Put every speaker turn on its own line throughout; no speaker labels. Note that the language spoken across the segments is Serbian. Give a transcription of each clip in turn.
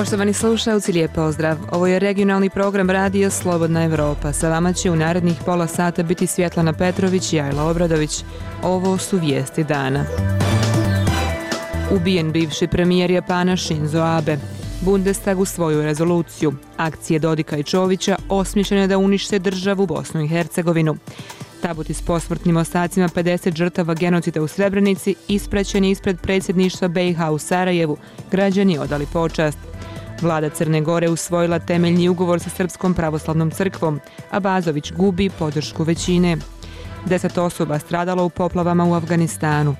Poštovani slušalci, lijep pozdrav. Ovo je regionalni program Radio Slobodna Evropa. Sa vama će u narednih pola sata biti Svjetlana Petrović i Ajla Obradović. Ovo su vijesti dana. Ubijen bivši premijer Japana Shinzo Abe. Bundestag usvojio rezoluciju. Akcije Dodika i Čovića osmišljene da unište državu Bosnu i Hercegovinu. Tabuti s posmrtnim ostacima 50 žrtava genocida u Srebrenici ispraćen je ispred predsjedništva BiH u Sarajevu. Građani odali počast. Vlada Crne Gore usvojila temeljni ugovor sa Srpskom pravoslavnom crkvom, a Bazović gubi podršku većine. 10 osoba stradalo u poplavama u Afganistanu.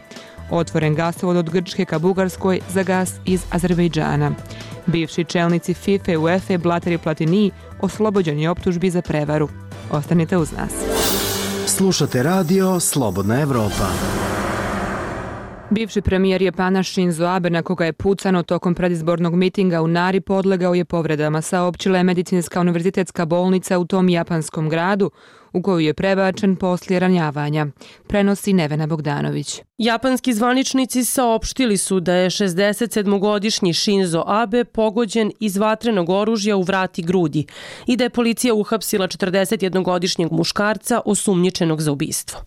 Otvoren gasovod od Grčke ka Bugarskoj za gas iz Azerbejdžana. Bivši čelnici FIFA i UEFA Blatter i Platini oslobođeni optužbi za prevaru. Ostanite uz nas.
Slušate radio Slobodna Evropa.
Bivši premijer Japana Shinzo Abe, na koga je pucano tokom predizbornog mitinga u Nari, podlegao je povredama, saopćila je Medicinska univerzitetska bolnica u tom japanskom gradu, u koju je prebačen poslije ranjavanja. Prenosi Nevena Bogdanović.
Japanski zvaničnici saopštili su da je 67-godišnji Shinzo Abe pogođen iz vatrenog oružja u vrat i grudi i da je policija uhapsila 41-godišnjeg muškarca osumnjičenog za ubistvo.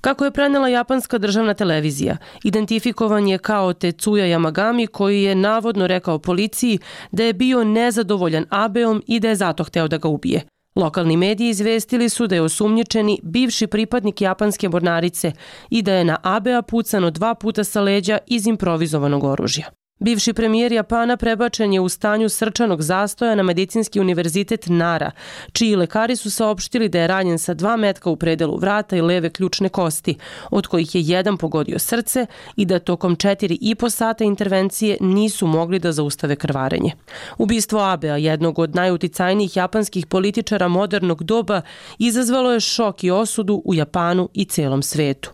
Kako je prenela japanska državna televizija, identifikovan je kao Tetsuya Yamagami, koji je navodno rekao policiji da je bio nezadovoljan Abeom i da je zato hteo da ga ubije. Lokalni mediji izvestili su da je osumnjičeni bivši pripadnik japanske mornarice i da je na Abea pucano 2 puta sa leđa iz improvizovanog oružja. Bivši premijer Japana prebačen je u stanju srčanog zastoja na Medicinski univerzitet Nara, čiji lekari su saopštili da je ranjen sa 2 metka u predelu vrata i leve ključne kosti, od kojih je jedan pogodio srce i da tokom 4,5 sata intervencije nisu mogli da zaustave krvarenje. Ubistvo Abea, jednog od najuticajnijih japanskih političara modernog doba, izazvalo je šok i osudu u Japanu i celom svetu.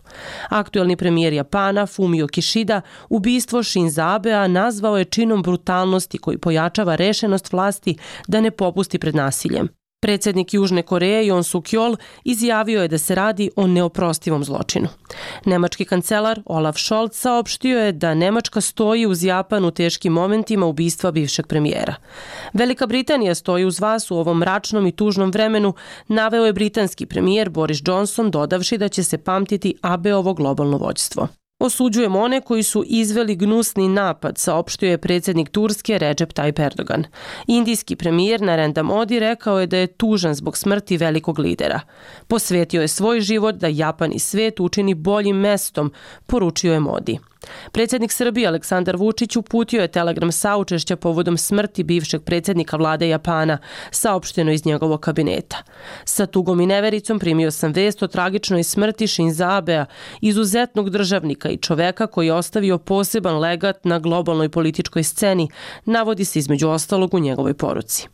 Aktuelni premijer Japana, Fumio Kishida, ubistvo Shinza Abea nazvao je činom brutalnosti koji pojačava rešenost vlasti da ne popusti pred nasiljem. Predsjednik Južne Koreje Yoon Suk-yeol izjavio je da se radi o neoprostivom zločinu. Nemački kancelar Olaf Scholz saopštio je da Nemačka stoji uz Japan u teškim momentima ubistva bivšeg premijera. Velika Britanija stoji uz vas u ovom mračnom i tužnom vremenu, naveo je britanski premijer Boris Johnson, dodavši da će se pamtiti Abeovo globalno vođstvo. Osuđujemo one koji su izveli gnusni napad, saopštio je predsjednik Turske Recep Tayyip Erdogan. Indijski premijer Narendra Modi rekao je da je tužan zbog smrti velikog lidera. Posvetio je svoj život da Japan i svijet učini boljim mestom, poručio je Modi. Predsjednik Srbije Aleksandar Vučić uputio je telegram saučešća povodom smrti bivšeg predsjednika vlade Japana, saopšteno iz njegovog kabineta. Sa tugom i nevericom primio sam vest o tragičnoj smrti Shinza Abea, izuzetnog državnika i čoveka koji je ostavio poseban legat na globalnoj političkoj sceni, navodi se između ostalog u njegovoj poruci.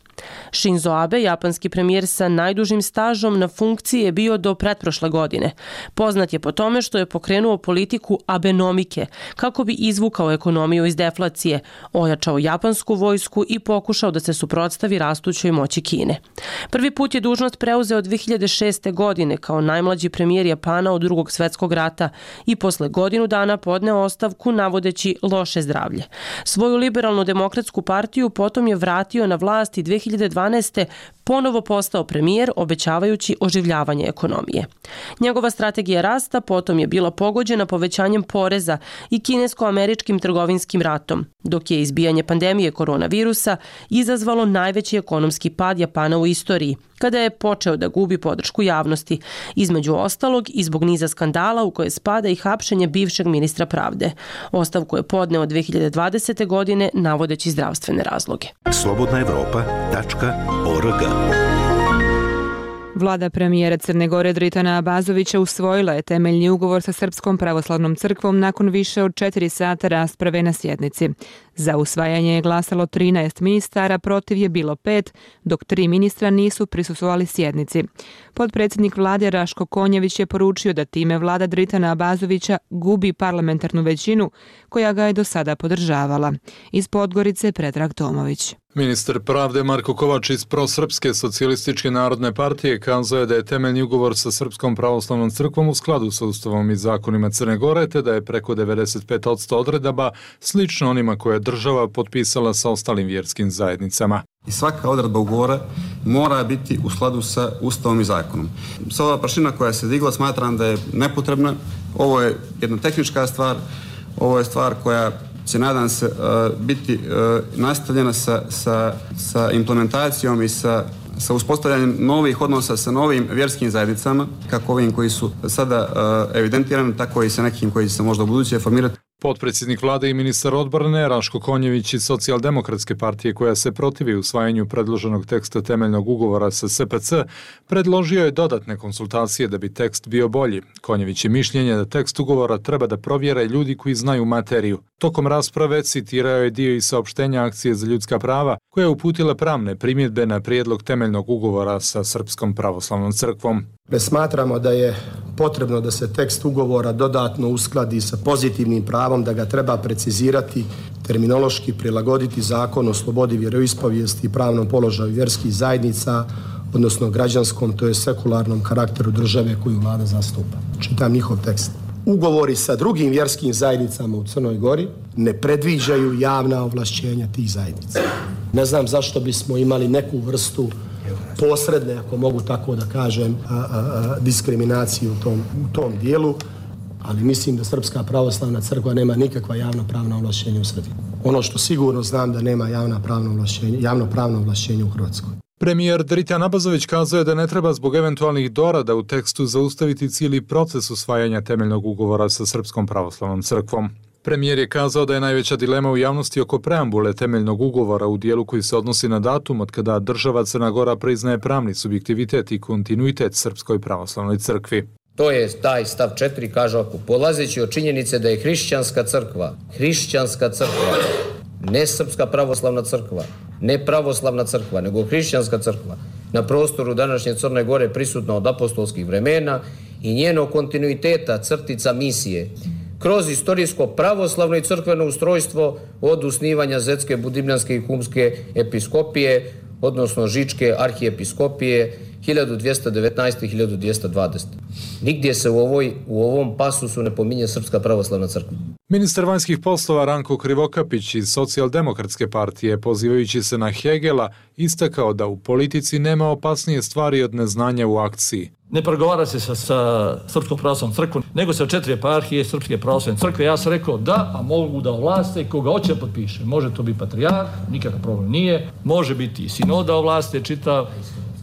Shinzo Abe, japanski premijer sa najdužim stažom na funkciji, je bio do pretprošle godine. Poznat je po tome što je pokrenuo politiku abenomike kako bi izvukao ekonomiju iz deflacije, ojačao japansku vojsku i pokušao da se suprotstavi rastućoj moći Kine. Prvi put je dužnost preuzeo 2006. godine kao najmlađi premijer Japana od Drugog svjetskog rata i posle godinu dana podneo ostavku navodeći loše zdravlje. Svoju liberalnu demokratsku partiju potom je vratio na vlast i 2012. ponovo postao premijer, obećavajući oživljavanje ekonomije. Njegova strategija rasta potom je bila pogođena povećanjem poreza i kinesko-američkim trgovinskim ratom, dok je izbijanje pandemije koronavirusa izazvalo najveći ekonomski pad Japana u istoriji, kada je počeo da gubi podršku javnosti, između ostalog i zbog niza skandala u koje spada i hapšenje bivšeg ministra pravde. Ostavku je podneo 2020. godine navodeći zdravstvene razloge.
slobodnaevropa.org.
Vlada premijera Crne Gore Dritana Bazovića usvojila je temeljni ugovor sa Srpskom pravoslavnom crkvom nakon više od 4 sata rasprave na sjednici. Za usvajanje je glasalo 13 ministara, protiv je bilo 5, dok 3 ministra nisu prisustvovali sjednici. Potpredsjednik vlade Raško Konjević je poručio da time vlada Dritana Bazovića gubi parlamentarnu većinu koja ga je do sada podržavala. Iz Podgorice Predrag Tomović.
Ministar pravde Marko Kovač iz Prosrpske socijalističke narodne partije kazao je da je temeljni ugovor sa Srpskom pravoslavnom crkvom u skladu sa ustavom i zakonima Crne Gore, te da je preko 95% odredaba slično onima koje država potpisala sa ostalim vjerskim zajednicama.
I svaka odredba ugovora mora biti u skladu sa Ustavom i zakonom. Sa ova prašina koja se digla smatram da je nepotrebna. Ovo je jedna tehnička stvar, ovo je stvar koja će, nadam se, biti nastavljena sa implementacijom i sa uspostavljanjem novih odnosa sa novim vjerskim zajednicama, kako ovim koji su sada evidentirani, tako i sa nekim koji će se možda u buduće formirati.
Potpredsjednik vlade i ministar odbrane Raško Konjević iz Socijaldemokratske partije, koja se protivi usvajanju predloženog teksta temeljnog ugovora sa SPC, predložio je dodatne konsultacije da bi tekst bio bolji. Konjević je mišljenje da tekst ugovora treba da provjere ljudi koji znaju materiju. Tokom rasprave citirao je dio i saopštenja Akcije za ljudska prava, koja je uputila pravne primjedbe na prijedlog temeljnog ugovora sa Srpskom pravoslavnom crkvom.
Smatramo da je potrebno da se tekst ugovora dodatno uskladi sa pozitivnim pravom, da ga treba precizirati, terminološki prilagoditi Zakon o slobodi vjeroispovijesti i pravnom položaju vjerskih zajednica, odnosno građanskom, to je sekularnom karakteru države koju vlada zastupa. Čitam njihov tekst. Ugovori sa drugim vjerskim zajednicama u Crnoj Gori ne predviđaju javna ovlašćenja tih zajednica. Ne znam zašto bismo imali neku vrstu posredne, ako mogu tako da kažem, diskriminaciju u tom dijelu, ali mislim da Srpska pravoslavna crkva nema nikakva javnopravna ovlašćenja u Srbiji. Ono što sigurno znam da nema javnopravno ovlašćenje u Hrvatskoj.
Premijer Dritan Abazović kazao je da ne treba zbog eventualnih dorada u tekstu zaustaviti cijeli proces usvajanja temeljnog ugovora sa Srpskom pravoslavnom crkvom. Premijer je kazao da je najveća dilema u javnosti oko preambule temeljnog ugovora u dijelu koji se odnosi na datum od kada država Crna Gora priznaje pravni subjektivitet i kontinuitet Srpskoj pravoslavnoj crkvi.
To je taj stav 4, kaže ovako: polazeći od činjenice da je hrišćanska crkva, ne Srpska pravoslavna crkva, ne pravoslavna crkva, nego hrišćanska crkva, na prostoru današnje Crne Gore prisutna od apostolskih vremena i njenog kontinuiteta crtica misije, kroz istorijsko pravoslavno i crkveno ustrojstvo od osnivanja Zetske, Budimljanske i Humske episkopije, odnosno Žičke arhijepiskopije 1219-1220. Nigdje se u ovom pasusu ne pominje Srpska pravoslavna crkva.
Ministar vanjskih poslova Ranko Krivokapić iz Socijaldemokratske partije, pozivajući se na Hegela, istakao da u politici nema opasnije stvari od neznanja u akciji.
Ne pregovara se sa Srpskom pravoslavnom crkvom, nego sa 4 eparhije Srpske pravoslavne crkve. Ja sam rekao da, a mogu da ovlaste koga hoće potpiše. Može to biti patrijarh, nikakav problem nije. Može biti i sinoda ovlaste čitav,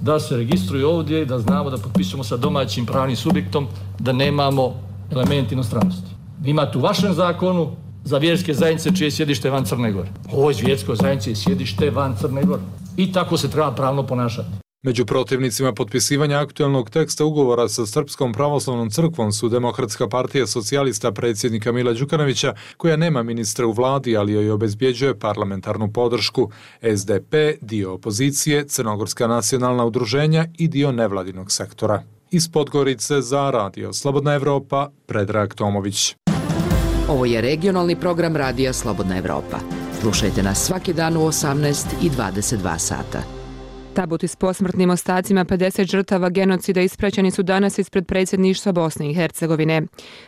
da se registruju ovdje i da znamo da potpisujemo sa domaćim pravnim subjektom, da nemamo element inostranosti. Imate u vašem zakonu za vjerske zajednice čije je sjedište van Crne Gore. Ovo je vjerskoj zajednici je sjedište van Crne Gore. I tako se treba pravno ponašati.
Među protivnicima potpisivanja aktualnog teksta ugovora sa Srpskom pravoslavnom crkvom su Demokratska partija socijalista predsjednika Mila Đukanovića, koja nema ministra u vladi, ali joj obezbjeđuje parlamentarnu podršku, SDP, dio opozicije, Crnogorska nacionalna udruženja i dio nevladinog sektora. Iz Podgorice za Radio Slobodna Evropa, Predrag Tomović.
Ovo je regionalni program Radija Slobodna Evropa. Slušajte nas svaki dan u 18 i 22 sata.
Tabuti s posmrtnim ostacima 50 žrtava genocida ispraćeni su danas ispred predsjedništva Bosne i Hercegovine.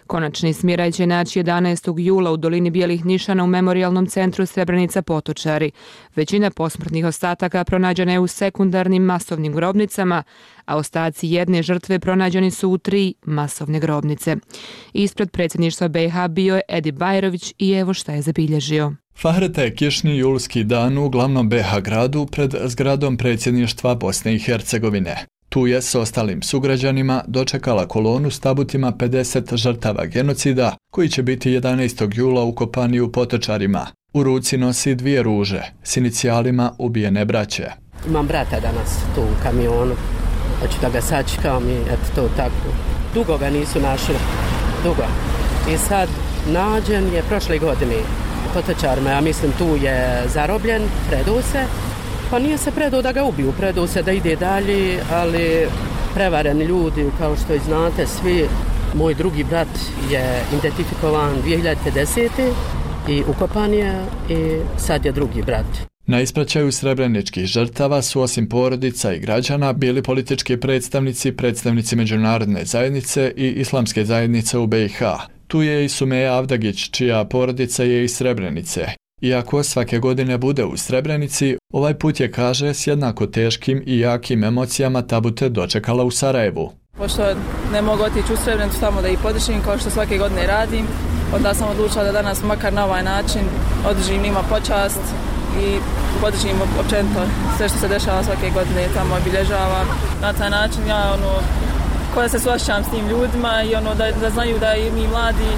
Konačni smiraj će naći 11. jula u dolini Bijelih nišana u memorijalnom centru Srebrenica Potočari. Većina posmrtnih ostataka pronađena je u sekundarnim masovnim grobnicama, a ostaci jedne žrtve pronađeni su u 3 masovne grobnice. Ispred predsjedništva BiH bio je Edi Bajrović i evo šta je zabilježio.
Fahreta je kišni julski dan u glavnom BiH gradu pred zgradom predsjedništva Bosne i Hercegovine. Tu je s ostalim sugrađanima dočekala kolonu s tabutima 50 žrtava genocida koji će biti 11. jula ukopani u Potočarima. U ruci nosi 2 ruže s inicijalima ubijene braće.
Imam brata danas tu u kamionu, hoću da ga sačekam i eto to tako. Dugo ga nisu našli, dugo. I sad nađen je prošle godine Potočarima, ja mislim tu je zarobljen, predao se, pa nije se predao da ga ubiju, predao se da ide dalje, ali prevareni ljudi, kao što i znate svi, moj drugi brat je identifikovan 2050. i ukopan je i sad je drugi brat.
Na ispraćaju srebreničkih žrtava su osim porodica i građana bili politički predstavnici međunarodne zajednice i islamske zajednice u BiH. Tu je i Sumeja Avdagić, čija porodica je iz Srebrenice. Iako svake godine bude u Srebrenici, ovaj put je, kaže, s jednako teškim i jakim emocijama Tabute dočekala u Sarajevu.
Pošto ne mogu otići u Srebrenicu tamo da ih podržim kao što svake godine radim, onda sam odlučila da danas makar na ovaj način održim njima počast i podržim općenito sve što se dešava svake godine tamo obilježava. Na taj način ja koja se suosjećam s tim ljudima i da znaju da i mi mladi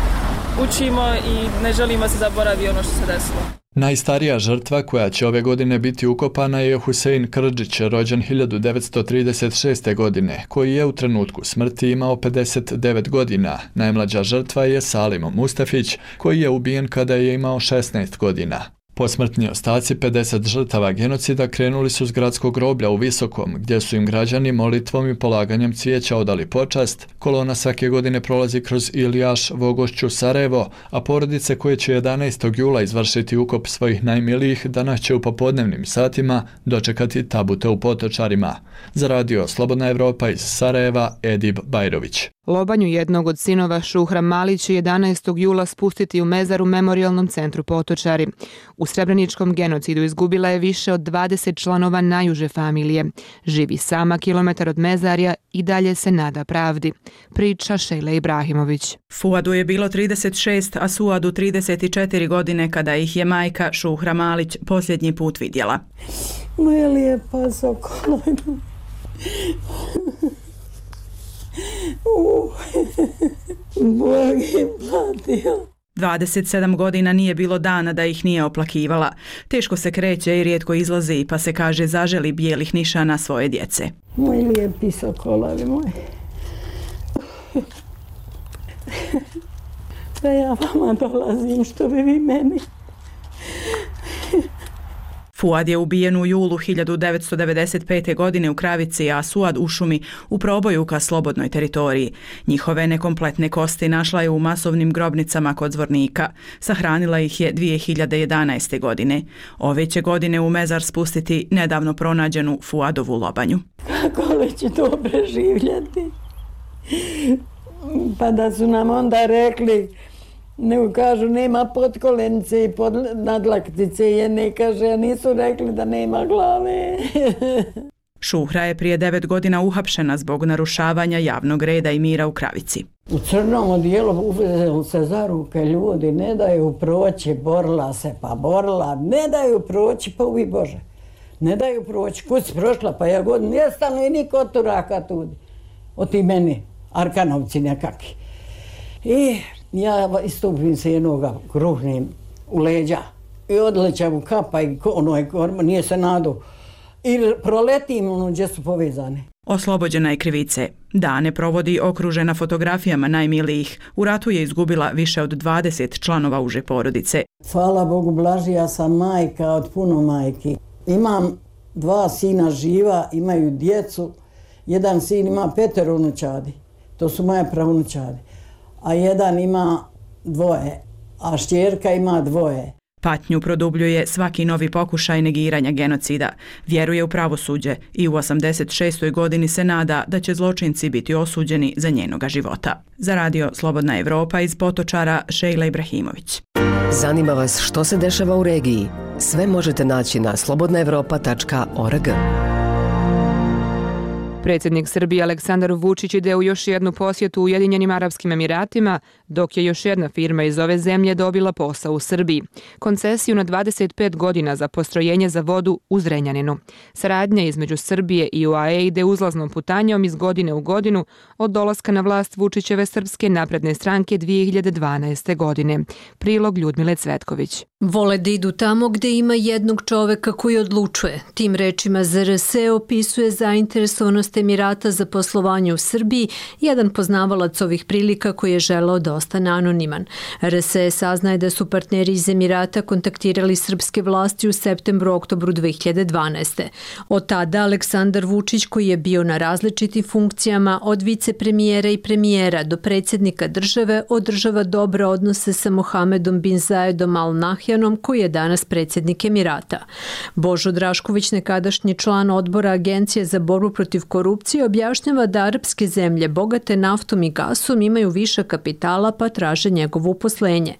učimo i ne želimo da se zaboravi ono što se desilo.
Najstarija žrtva koja će ove godine biti ukopana je Husein Krdžić, rođen 1936. godine, koji je u trenutku smrti imao 59 godina. Najmlađa žrtva je Salim Mustafić, koji je ubijen kada je imao 16 godina. Posmrtni ostaci 50 žrtava genocida krenuli su s gradskog groblja u Visokom, gdje su im građani molitvom i polaganjem cvijeća odali počast. Kolona svake godine prolazi kroz Ilijaš, Vogošću, Sarajevo, a porodice koje će 11. jula izvršiti ukop svojih najmilijih danas će u popodnevnim satima dočekati Tabute u Potočarima. Za radio Slobodna Evropa iz Sarajeva, Edib Bajrović.
Lobanju jednog od sinova Šuhra Malić će 11. jula spustiti u mezar u Memorijalnom centru Potočari. U srebreničkom genocidu izgubila je više od 20 članova najuže familije. Živi sama kilometar od mezarja i dalje se nada pravdi. Priča Šejla Ibrahimović.
Fuadu je bilo 36, a Suadu 34 godine kada ih je majka Šuhra Malić posljednji put vidjela.
Moja lijepa Sokolina.
27 godina nije bilo dana da ih nije oplakivala. Teško se kreće i rijetko izlazi, pa se kaže zaželi bijelih nišana svoje djece.
Moj lijepi sokolavi moj. Da ja vama dolazim što bi vi meni.
Fuad je ubijen u julu 1995. godine u Kravici, a Suad u šumi u proboju ka slobodnoj teritoriji. Njihove nekompletne kosti našla je u masovnim grobnicama kod Zvornika. Sahranila ih je 2011. godine. Ove će godine u mezar spustiti nedavno pronađenu Fuadovu lobanju.
Kako li će to preživljati? Pa da su nam onda rekli, nego kažu nema potkolenice i nadlaktice jedne, kaže, a nisu rekli da nema glave.
Šuhra je prije 9 godina uhapšena zbog narušavanja javnog reda i mira u Kravici.
U crnom odijelu uvezeli se za ruke ljudi, ne daju proći, borila se pa borila, ne daju proći, pa ubi Bože. Ne daju proći, kud si prošla, pa ja god nestanu i niko od turaka tudi. Od ti meni, Arkanovci nekakvi. I ja istupim se jednoga, kruhnim u leđa i odlećam u kapa i nije se nadu. I proletim gdje su povezane.
Oslobođena je krivice. Dane provodi okružena fotografijama najmilijih. U ratu je izgubila više od 20 članova uže porodice.
Hvala Bogu, blažija sam majka od puno majki. Imam 2 sina živa, imaju djecu. Jedan sin ima 5 unučadi. To su moje pravunučadi. A jedan ima 2, a šćerka ima 2.
Patnju produbljuje svaki novi pokušaj negiranja genocida. Vjeruje u pravosuđe i u 86. godini se nada da će zločinci biti osuđeni za njenoga života. Za radio Slobodna Evropa iz Potočara, Šejla Ibrahimović.
Zanima vas što se dešava u regiji? Sve možete naći na slobodnaevropa.org.
Predsjednik Srbije Aleksandar Vučić ide u još jednu posjetu Ujedinjenim Arapskim Emiratima, dok je još jedna firma iz ove zemlje dobila posao u Srbiji. Koncesiju na 25 godina za postrojenje za vodu u Zrenjaninu. Saradnja između Srbije i UAE ide uzlaznom putanjom iz godine u godinu od dolaska na vlast Vučićeve Srpske napredne stranke 2012. godine. Prilog Ljudmile Cvetković.
Vole da idu tamo gde ima jednog čoveka koji odlučuje. Tim rečima ZRS opisuje zainteresovanost Emirata za poslovanje u Srbiji, jedan poznavalac ovih prilika koji je želeo da ostane anoniman. RSE saznaje da su partneri iz Emirata kontaktirali srpske vlasti u septembru-oktobru 2012. Od tada Aleksandar Vučić, koji je bio na različitim funkcijama od vicepremijera i premijera do predsjednika države, održava dobre odnose sa Mohamedom bin Zayedom Al Nahjanom, koji je danas predsjednik Emirata. Božo Drašković, nekadašnji član odbora Agencije za borbu protiv korupcije, objašnjava da arapske zemlje bogate naftom i gasom imaju više kapitala kapitala pa traže njegovo uposlenje.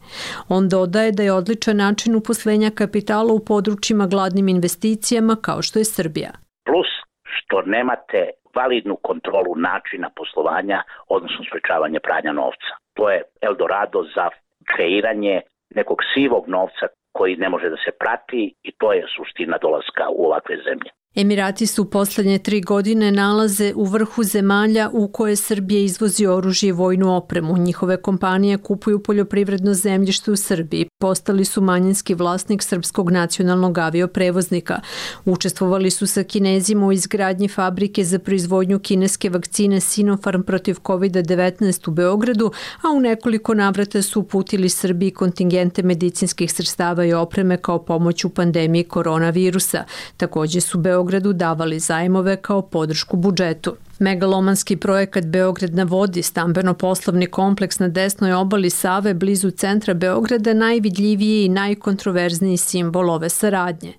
On dodaje da je odličan način uposlenja kapitala u područjima gladnim investicijama kao što je Srbija.
Plus što nemate validnu kontrolu načina poslovanja, odnosno sprečavanje pranja novca. To je Eldorado za kreiranje nekog sivog novca koji ne može da se prati i to je suština dolaska u ovakve zemlje.
Emirati su u poslednje 3 godine nalaze u vrhu zemalja u koje Srbija izvozi oružje i vojnu opremu. Njihove kompanije kupuju poljoprivredno zemljište u Srbiji. Postali su manjinski vlasnik srpskog nacionalnog avioprevoznika. Učestvovali su sa Kinezima u izgradnji fabrike za proizvodnju kineske vakcine Sinopharm protiv COVID-19 u Beogradu, a u nekoliko navrata su uputili Srbiji kontingente medicinskih sredstava i opreme kao pomoć u pandemiji koronavirusa. Takođe su Beogradu davali zajmove kao podršku budžetu. Megalomanski projekat Beograd na vodi, stambeno-poslovni kompleks na desnoj obali Save blizu centra Beograda, najvidljiviji i najkontroverzniji simbol ove saradnje.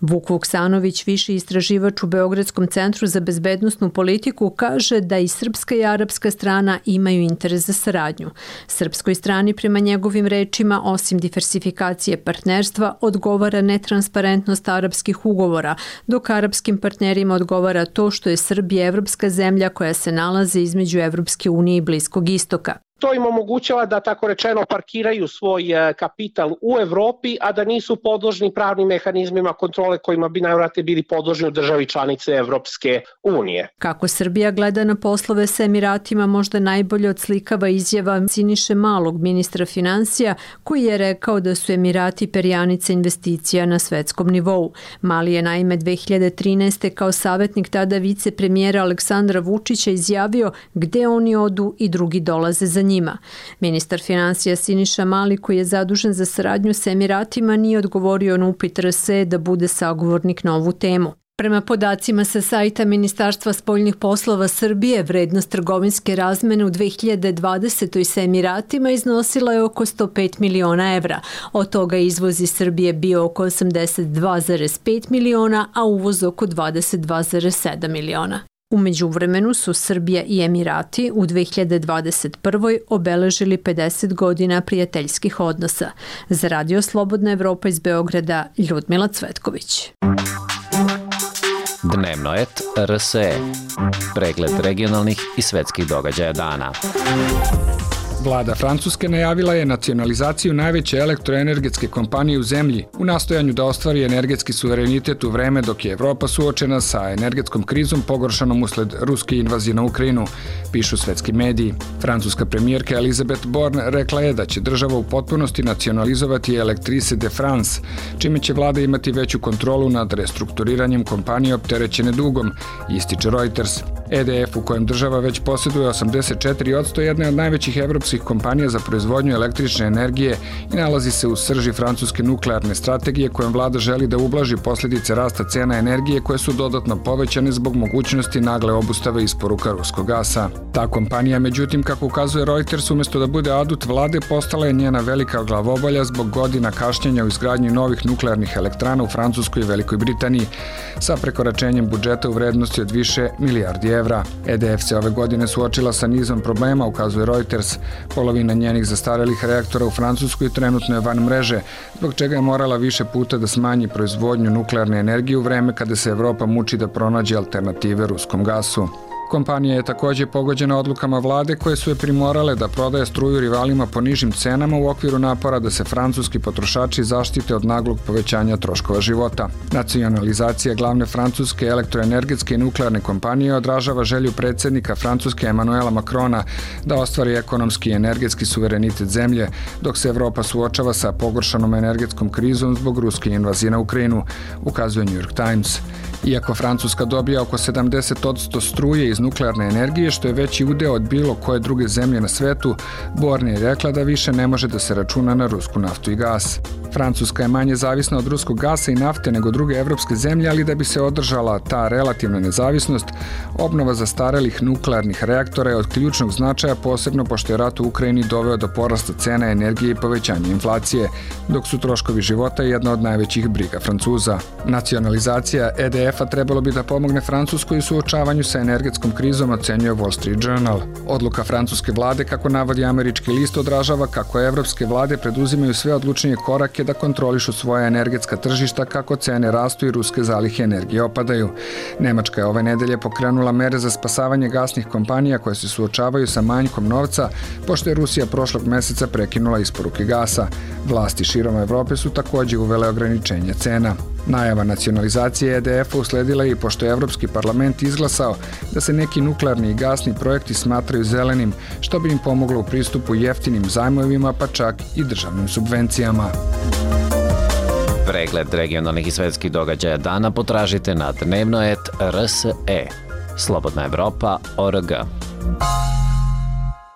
Vuk Vuksanović, viši istraživač u Beogradskom centru za bezbednosnu politiku, kaže da i srpska i arapska strana imaju interes za saradnju. Srpskoj strani, prema njegovim rečima, osim diversifikacije partnerstva, odgovara netransparentnost arapskih ugovora, dok arapskim partnerima odgovara to što je Srbija evropska zemlja koja se nalazi između Evropske unije i Bliskog istoka.
To im omogućava da, tako rečeno, parkiraju svoj kapital u Evropi, a da nisu podložni pravnim mehanizmima kontrole kojima bi najvjerojatnije bili podložni u državi članice Evropske unije.
Kako Srbija gleda na poslove sa Emiratima možda najbolje odslikava izjava Siniše Malog, ministra finansija, koji je rekao da su Emirati perjanica investicija na svetskom nivou. Mali je naime 2013. kao savjetnik tada vicepremijera Aleksandra Vučića izjavio gde oni odu i drugi dolaze za njima. Ministar finansija Siniša Mali, koji je zadužen za saradnju sa Emiratima, nije odgovorio na upit RSE da bude sagovornik na ovu temu. Prema podacima sa sajta Ministarstva spoljnih poslova Srbije, vrednost trgovinske razmene u 2020. sa Emiratima iznosila je oko 105 miliona evra. Od toga izvoz iz Srbije bio oko 82,5 miliona, a uvoz oko 22,7 miliona. U međuvremenu su Srbija i Emirati u 2021. obeležili 50 godina prijateljskih odnosa. Za Radio Slobodna Evropa iz Beograda, Ljudmila Cvetković.
Dnevno et RSE. Pregled regionalnih i svetskih događaja dana.
Vlada Francuske najavila je nacionalizaciju najveće elektroenergetske kompanije u zemlji u nastojanju da ostvari energetski suverenitet u vreme dok je Evropa suočena sa energetskom krizom pogoršanom usled ruske invazije na Ukrajinu, pišu svetski mediji. Francuska premijerka Elisabeth Borne rekla je da će država u potpunosti nacionalizovati Electrice de France, čime će vlada imati veću kontrolu nad restrukturiranjem kompanije opterećene dugom, ističe Reuters. EDF, u kojem država već posjeduje 84%, jedne od najvećih evropskih kompanija za proizvodnju električne energije i nalazi se u srži francuske nuklearne strategije kojom vlada želi da ublaži posljedice rasta cena energije koje su dodatno povećane zbog mogućnosti nagle obustave isporuka ruskog gasa. Ta kompanija, međutim, kako ukazuje Reuters, umjesto da bude adut vlade, postala je njena velika glavobolja zbog godina kašnjenja u izgradnji novih nuklearnih elektrana u Francuskoj i Velikoj Britaniji sa prekoračenjem budžeta u vrednosti od više milijardi evra. EDF se ove godine suočila sa nizom problema, ukazuje Reuters. Polovina njenih zastarelih reaktora u Francuskoj trenutno je van mreže, zbog čega je morala više puta da smanji proizvodnju nuklearne energije u vreme kada se Evropa muči da pronađe alternative ruskom gasu. Kompanija je također pogođena odlukama vlade koje su je primorale da prodaje struju rivalima po nižim cenama u okviru napora da se francuski potrošači zaštite od naglog povećanja troškova života. Nacionalizacija glavne francuske elektroenergetske i nuklearne kompanije odražava želju predsjednika Francuske Emmanuela Macrona da ostvari ekonomski i energetski suverenitet zemlje, dok se Evropa suočava sa pogoršanom energetskom krizom zbog ruske invazije na Ukrajinu, ukazuje New York Times. Iako Francuska dobija oko 70% struje iz nuklearne energije, što je veći udeo od bilo koje druge zemlje na svetu, Borne je rekla da više ne može da se računa na rusku naftu i gas. Francuska je manje zavisna od ruskog gasa i nafte nego druge evropske zemlje, ali da bi se održala ta relativna nezavisnost, obnova zastarelih nuklearnih reaktora je od ključnog značaja, posebno pošto je rat u Ukrajini doveo do porasta cena energije i povećanja inflacije, dok su troškovi života jedna od najvećih briga Francuza. Nacionalizacija EDF-a trebalo bi da pomogne Francuskoj u suočavanju sa energetskom krizom, ocenjuje Wall Street Journal. Odluka francuske vlade, kako navodi američki list, odražava kako evropske vlade preduzimaju sve odlučnije korake da kontrolišu svoja energetska tržišta kako cene rastu i ruske zalihe energije opadaju. Nemačka je ove nedelje pokrenula mere za spasavanje gasnih kompanija koje se suočavaju sa manjkom novca, pošto je Rusija prošlog meseca prekinula isporuke gasa. Vlasti širom Evrope su takođe uvele ograničenje cena. Najava nacionalizacije EDF-a usledila je i pošto je Evropski parlament izglasao da se neki nuklearni i gasni projekti smatraju zelenim, što bi im pomoglo u pristupu jeftinim zajmovima, pa čak i državnim subvencijama.
Pregled regionalnih i svetskih događaja dana potražite na dnevno.rs.e. slobodnaevropa.org.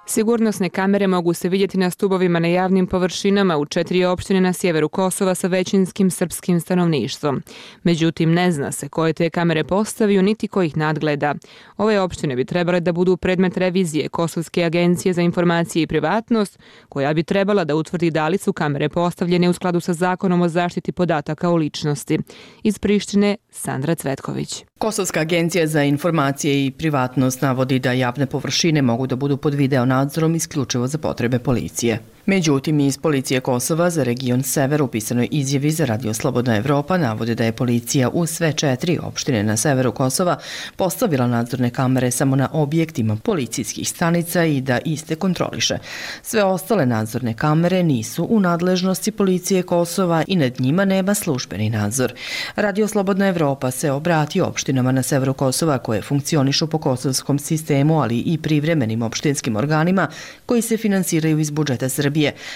Sigurnosne kamere mogu se vidjeti na stubovima na javnim površinama u 4 opštine na sjeveru Kosova sa većinskim srpskim stanovništvom. Međutim, ne zna se koje te kamere postavio niti ko ih nadgleda. Ove opštine bi trebale da budu predmet revizije Kosovske agencije za informacije i privatnost, koja bi trebala da utvrdi da li su kamere postavljene u skladu sa zakonom o zaštiti podataka o ličnosti. Iz Prištine, Sandra Cvetković.
Kosovska agencija za informacije i privatnost navodi da javne površine mogu da budu pod video nadzorom isključivo za potrebe policije. Međutim, iz Policije Kosova za region Sever u pisanoj izjavi za Radio Slobodna Evropa navode da je policija u sve 4 opštine na severu Kosova postavila nadzorne kamere samo na objektima policijskih stanica i da iste kontroliše. Sve ostale nadzorne kamere nisu u nadležnosti Policije Kosova i nad njima nema službeni nadzor. Radio Slobodna Evropa se obratio opštinama na severu Kosova koje funkcionišu po kosovskom sistemu, ali i privremenim opštinskim organima koji se finansiraju iz budžeta Srbije,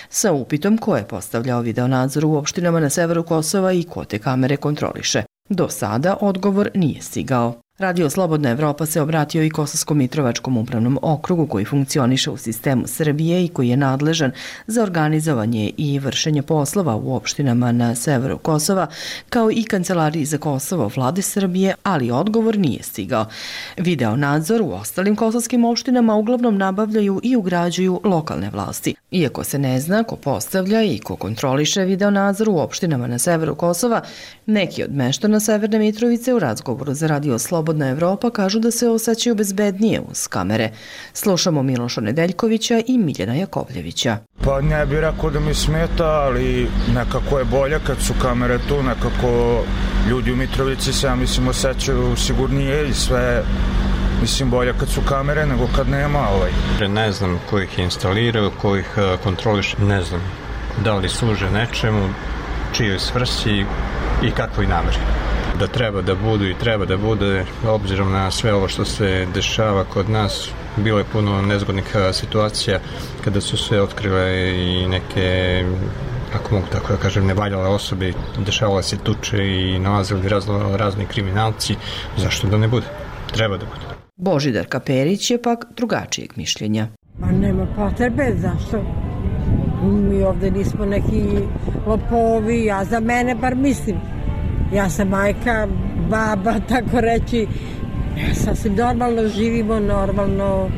sa upitom ko je postavljao videonadzor u opštinama na severu Kosova i ko te kamere kontroliše. Do sada odgovor nije stigao. Radio Slobodna Evropa se obratio i Kosovsko-Mitrovačkom upravnom okrugu koji funkcioniše u sistemu Srbije i koji je nadležan za organizovanje i vršenje poslova u opštinama na severu Kosova, kao i Kancelariji za Kosovo vlade Srbije, ali odgovor nije stigao. Video nadzor u ostalim kosovskim opštinama uglavnom nabavljaju i ugrađuju lokalne vlasti. Iako se ne zna ko postavlja i ko kontroliše video nadzor u opštinama na severu Kosova, neki od meštana Severne Mitrovice u razgovoru za Radio Slobodna Evropa kažu da se osjećaju bezbednije uz kamere. Slušamo Miloša Nedeljkovića i Miljana Jakovljevića.
Pa ne bih rekao da mi smeta, ali nekako je bolje kad su kamere tu, nekako ljudi u Mitrovici se, ja mislim, osjećaju sigurnije i sve, mislim, bolje kad su kamere nego kad nema.
Ne znam ko ih instaliraju, ko ih kontroliše, ne znam da li služe nečemu, čijoj svrsi i kakvoj nameri. Da treba da budu i treba da bude, obzirom na sve ovo što se dešava kod nas, bilo je puno nezgodnih situacija kada su se otkrile i neke, ako mogu tako da kažem, nevaljale osobe, dešavale se tuče i nalazili razni kriminalci. Zašto da ne bude? Treba da bude.
Božidar Kaperić je pak drugačijeg mišljenja.
Ma nema potrebe, zašto? Mi ovde nismo neki lopovi, ja za mene bar mislim. Ja sam majka, baba, tako reći. Sasvim normalno živimo, normalno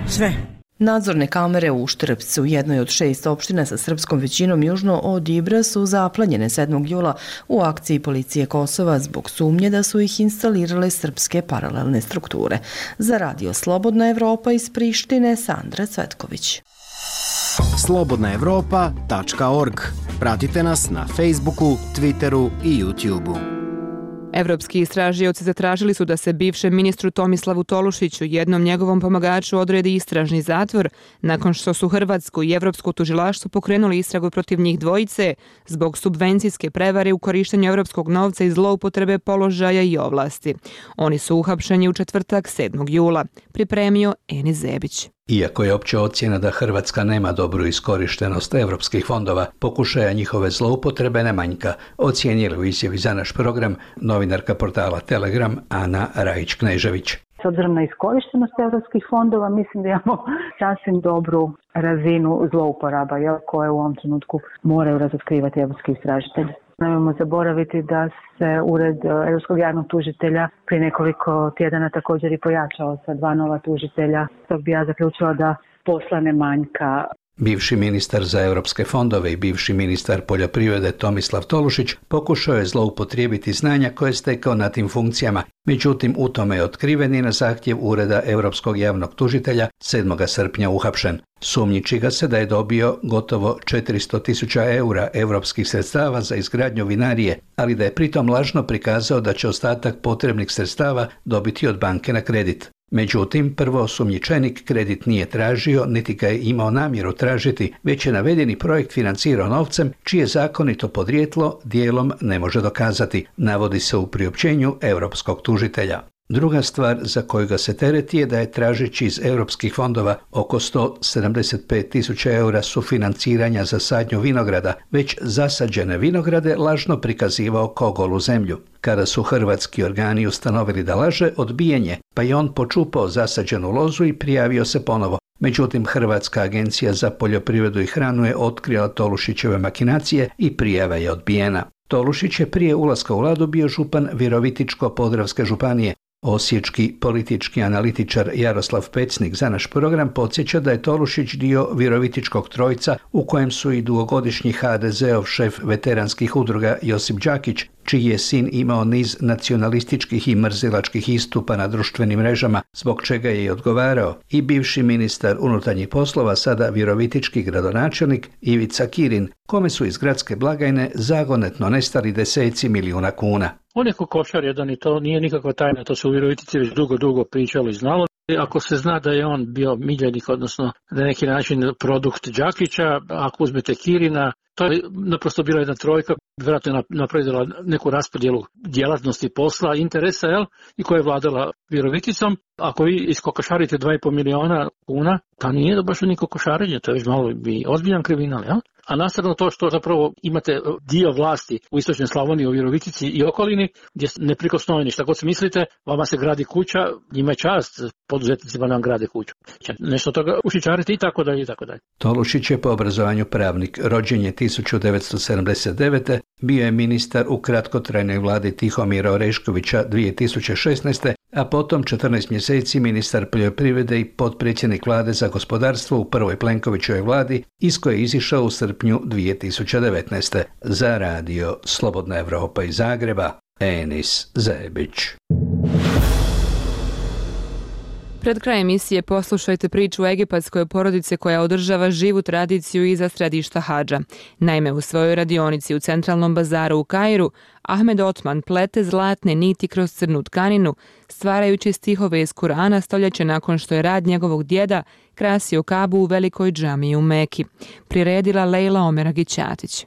sve.
Nadzorne kamere u Štrpcu, jednoj od 6 opština sa srpskom većinom južno od Ibra, su zaplanjene 7. jula u akciji Policije Kosova zbog sumnje da su ih instalirale srpske paralelne strukture. Za Radio Slobodna Evropa iz Prištine, Sandra Cvetković.
slobodnaevropa.org. Pratite nas na Facebooku, Twitteru i YouTubeu.
Evropski istražioci zatražili su da se bivšem ministru Tomislavu Tolušiću, jednom njegovom pomagaču, odredi istražni zatvor nakon što su Hrvatsko i Evropsko tužilaštvo pokrenuli istragu protiv njih dvojice zbog subvencijske prevare u korištenju evropskog novca i zloupotrebe položaja i ovlasti. Oni su uhapšeni u četvrtak 7. jula. Pripremio Eni Zebić.
Iako je opća ocjena da Hrvatska nema dobru iskorištenost evropskih fondova, pokušaja njihove zloupotrebe ne manjka, ocijenila u izjavi za naš program novinarka portala Telegram Ana Rajić-Knežević.
S obzirom na iskorištenost europskih fondova, mislim da imamo sasvim dobru razinu zlouporaba, koje u ovom trenutku moraju razotkrivati europski istražitelji. Nemojmo zaboraviti da se Ured Europskog javnog tužitelja prije nekoliko tjedana također i pojačao sa 2 nova tužitelja. Tog bi ja zaključila da posla ne manjka.
Bivši ministar za europske fondove i bivši ministar poljoprivrede Tomislav Tolušić pokušao je zloupotrijebiti znanja koje je stekao na tim funkcijama, međutim u tome je otkriven i na zahtjev Ureda Europskog javnog tužitelja 7. srpnja uhapšen. Sumnjiči ga se da je dobio gotovo 400.000 eura europskih sredstava za izgradnju vinarije, ali da je pritom lažno prikazao da će ostatak potrebnih sredstava dobiti od banke na kredit. Međutim, prvo osumnjičenik kredit nije tražio, niti ga je imao namjeru tražiti, već je navedeni projekt financirao novcem čije zakonito podrijetlo dijelom ne može dokazati, navodi se u priopćenju europskog tužitelja. Druga stvar za koju ga se tereti je da je tražeći iz europskih fondova oko 175.000 eura sufinanciranja za sadnju vinograda, već zasađene vinograde lažno prikazivao kao golu zemlju. Kada su hrvatski organi ustanovili da laže, odbijen je, pa je on počupao zasađenu lozu i prijavio se ponovo. Međutim, Hrvatska agencija za poljoprivredu i hranu je otkrila Tolušićeve makinacije i prijava je odbijena. Tolušić je prije ulaska u vladu bio župan Virovitičko-podravske županije. Osječki politički analitičar Jaroslav Pecnik za naš program podsjeća da je Tolušić dio Virovitičkog trojca u kojem su i dugogodišnji HDZ-ov šef veteranskih udruga Josip Đakić, čiji je sin imao niz nacionalističkih i mrzilačkih istupa na društvenim mrežama, zbog čega je i odgovarao, i bivši ministar unutarnjih poslova, sada virovitički gradonačelnik Ivica Kirin, kome su iz gradske blagajne zagonetno nestali deseci milijuna kuna.
On je kokošar jedan i to nije nikakva tajna, to se u Virovitici već dugo pričalo i znalo. Ako se zna da je on bio miljenik, odnosno na neki način produkt Đakića, ako uzmete Kirina, to je naprosto bila jedna trojka, vjerojatno je napravila neku raspodjelu djelatnosti posla, interesa, i koja je vladala Viroviticom. Ako vi iskokošarite 2,5 milijuna kuna, to nije da baš ni kokošarenje, to je već malo i ozbiljan kriminal, A nastavno to što zapravo imate dio vlasti u istočnoj Slavoniji, u Virovitici i okolini, gdje neprikosnoveni, šta god se mislite, vama se gradi kuća, njima je čast, poduzetnicima nam grade kuću. Nešto toga ušičariti i tako dalje i tako dalje.
Tolušić je po obrazovanju pravnik, rođen je 1979. Bio je ministar u kratkotrajnoj vladi Tihomira Oreškovića 2016. a potom 14 mjeseci ministar poljoprivrede i potpredsjednik vlade za gospodarstvo u prvoj Plenkovićevoj vladi, iz koje je izišao u srpnju 2019. Za radio Slobodna Evropa iz Zagreba, Enis Zebić.
Pred krajem emisije poslušajte priču egipatskoj porodice koja održava živu tradiciju iza središta hadža. Naime, u svojoj radionici u centralnom bazaru u Kairu, Ahmed Otman plete zlatne niti kroz crnu tkaninu, stvarajući stihove iz Kurana stoljeće nakon što je rad njegovog djeda krasio Kabu u velikoj džamiji u Meki. Priredila Lejla Omeragić-Ćatić.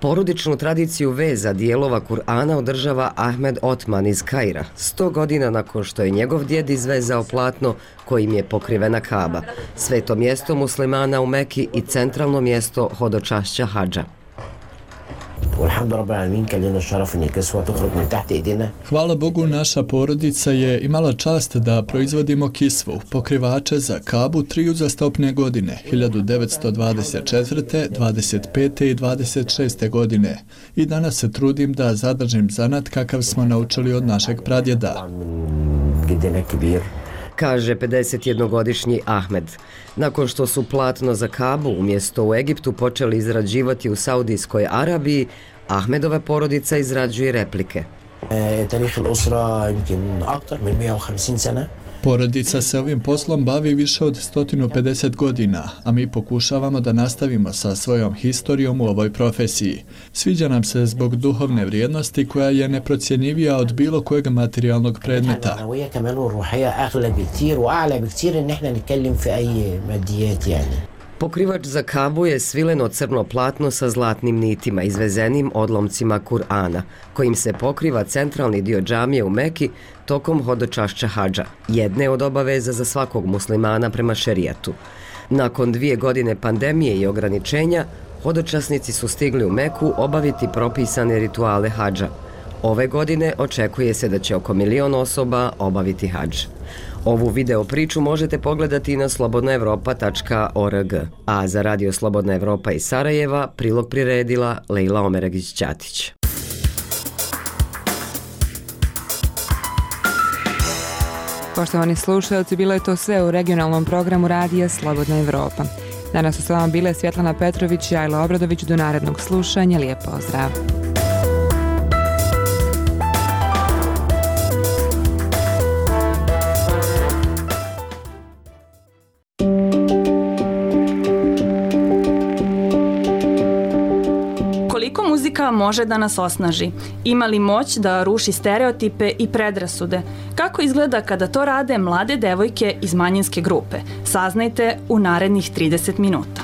Porodičnu tradiciju veza dijelova Kur'ana održava Ahmed Otman iz Kaira, 100 godina nakon što je njegov djed izvezao platno kojim je pokrivena Kaba, sveto mjesto muslimana u Meki i centralno mjesto hodočašća hadža.
Hvala Bogu, naša porodica je imala čast da proizvodimo kisvu, pokrivače za Kabu 3 uzastopne godine, 1924., 25. i 26. godine. I danas se trudim da zadržim zanat kakav smo naučili od našeg pradjeda.
Kaže 51-godišnji Ahmed. Nakon što su platno za Kabu umjesto u Egiptu počeli izrađivati u Saudijskoj Arabiji, Ahmedova porodica izrađuje replike.
Porodica se ovim poslom bavi više od 150 godina, a mi pokušavamo da nastavimo sa svojom historijom u ovoj profesiji. Sviđa nam se zbog duhovne vrijednosti koja je neprocjenjivija od bilo kojeg materijalnog predmeta.
Pokrivač za Kabu je svileno crno platno sa zlatnim nitima izvezenim odlomcima Kur'ana, kojim se pokriva centralni dio džamije u Meki tokom hodočašća hadža, jedne od obaveza za svakog muslimana prema šerijatu. Nakon 2 godine pandemije i ograničenja, hodočasnici su stigli u Meku obaviti propisane rituale hadža. Ove godine očekuje se da će oko 1 milion osoba obaviti hadž. Ovu video priču možete pogledati na slobodnaevropa.org, a za Radio Slobodna Evropa iz Sarajeva prilog priredila Lejla Omeragić-Ćatić.
Poštovani slušalci, bilo je to sve u regionalnom programu Radija Slobodna Evropa. Danas su s vama bile Svjetlana Petrović i Ajla Obradović. Do narednog slušanja. Lijep pozdrav.
Muzika može da nas osnaži. Ima li moć da ruši stereotipe i predrasude? Kako izgleda kada to rade mlade devojke iz manjinske grupe? Saznajte u narednih 30 minuta.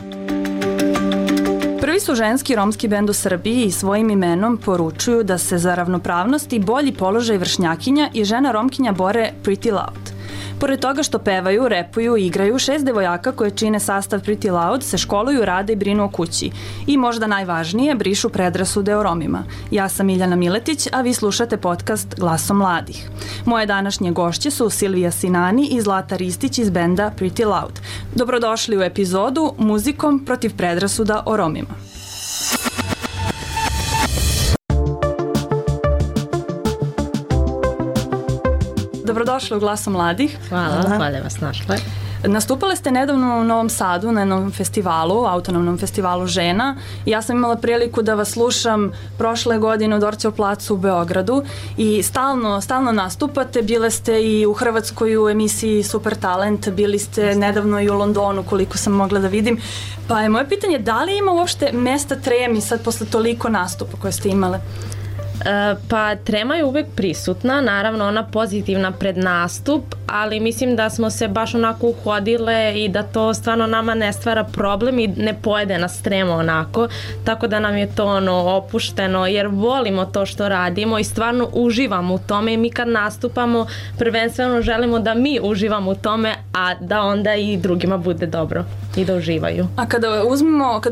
Prvi su ženski romski bend u Srbiji i svojim imenom poručuju da se za ravnopravnost i bolji položaj vršnjakinja i žena romkinja bore Pretty Loud. Pored toga što pevaju, repuju i igraju, 6 devojaka koje čine sastav Pretty Loud se školuju, rade i brinu o kući. I možda najvažnije, brišu predrasude o Romima. Ja sam Miljana Miletić, a vi slušate podcast Glasom mladih. Moje današnje gošće su Silvija Sinani i Zlata Ristić iz benda Pretty Loud. Dobrodošli u epizodu Muzikom protiv predrasuda o Romima. Dobrodošli u Glasu mladih.
Hvala, hvala vas našle.
Nastupale ste nedavno u Novom Sadu na jednom festivalu, autonomnom festivalu žena. Ja sam imala priliku da vas slušam prošle godine u Dorćev placu u Beogradu i stalno nastupate. Bile ste i u Hrvatskoj u emisiji Super Talent, bili ste nedavno i u Londonu koliko sam mogla da vidim. Pa je moje pitanje, da li ima uopšte mesta tremi sad posle toliko nastupa koje ste imale?
Pa trema je uvek prisutna, naravno ona pozitivna pred nastup, ali mislim da smo se baš onako uhodile i da to stvarno nama ne stvara problem i ne pojede nas trema onako, tako da nam je to opušteno jer volimo to što radimo i stvarno uživamo u tome i mi kad nastupamo prvenstveno želimo da mi uživamo u tome, a da onda i drugima bude dobro i da uživaju.
A kada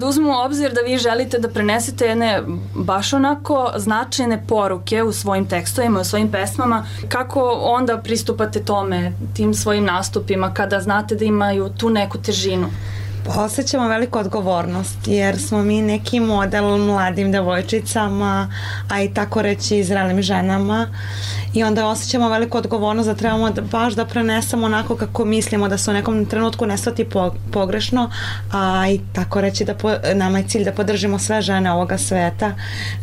uzmemo obzir da vi želite da prenesete jedne baš onako značajne poruke u svojim tekstovima, u svojim pesmama, kako onda pristupate tome, tim svojim nastupima, kada znate da imaju tu neku težinu?
Osjećamo veliku odgovornost jer smo mi neki model mladim devojčicama, a i tako reći i zrelim ženama i onda osjećamo veliku odgovornost da trebamo baš da prenesemo onako kako mislimo, da se u nekom trenutku ne shvati pogrešno, a i tako reći da nama je cilj da podržimo sve žene ovoga sveta,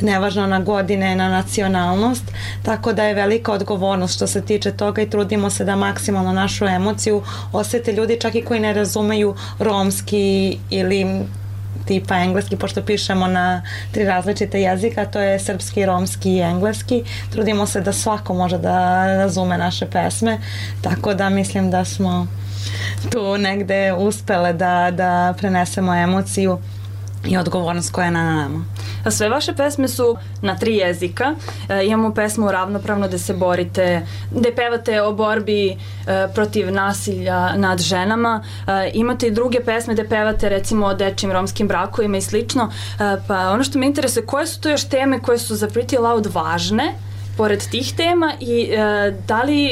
nevažno na godine, na nacionalnost, tako da je velika odgovornost što se tiče toga i trudimo se da maksimalno našu emociju osjete ljudi čak i koji ne razumeju romski ili tipa engleski, pošto pišemo na 3 različite jezika, to je srpski, romski i engleski. Trudimo se da svako može da razume naše pesme, tako da mislim da smo tu negde uspele da prenesemo emociju i odgovornost koja je na nama.
A sve vaše pesme su na 3 jezika. Imamo pesmu Ravnopravno gde se borite, gde pevate o borbi protiv nasilja nad ženama. Imate i druge pesme gde pevate recimo o dečjim romskim brakovima i slično. Pa ono što me interesuje, koje su to još teme koje su za Pretty Loud važne pored tih tema i da li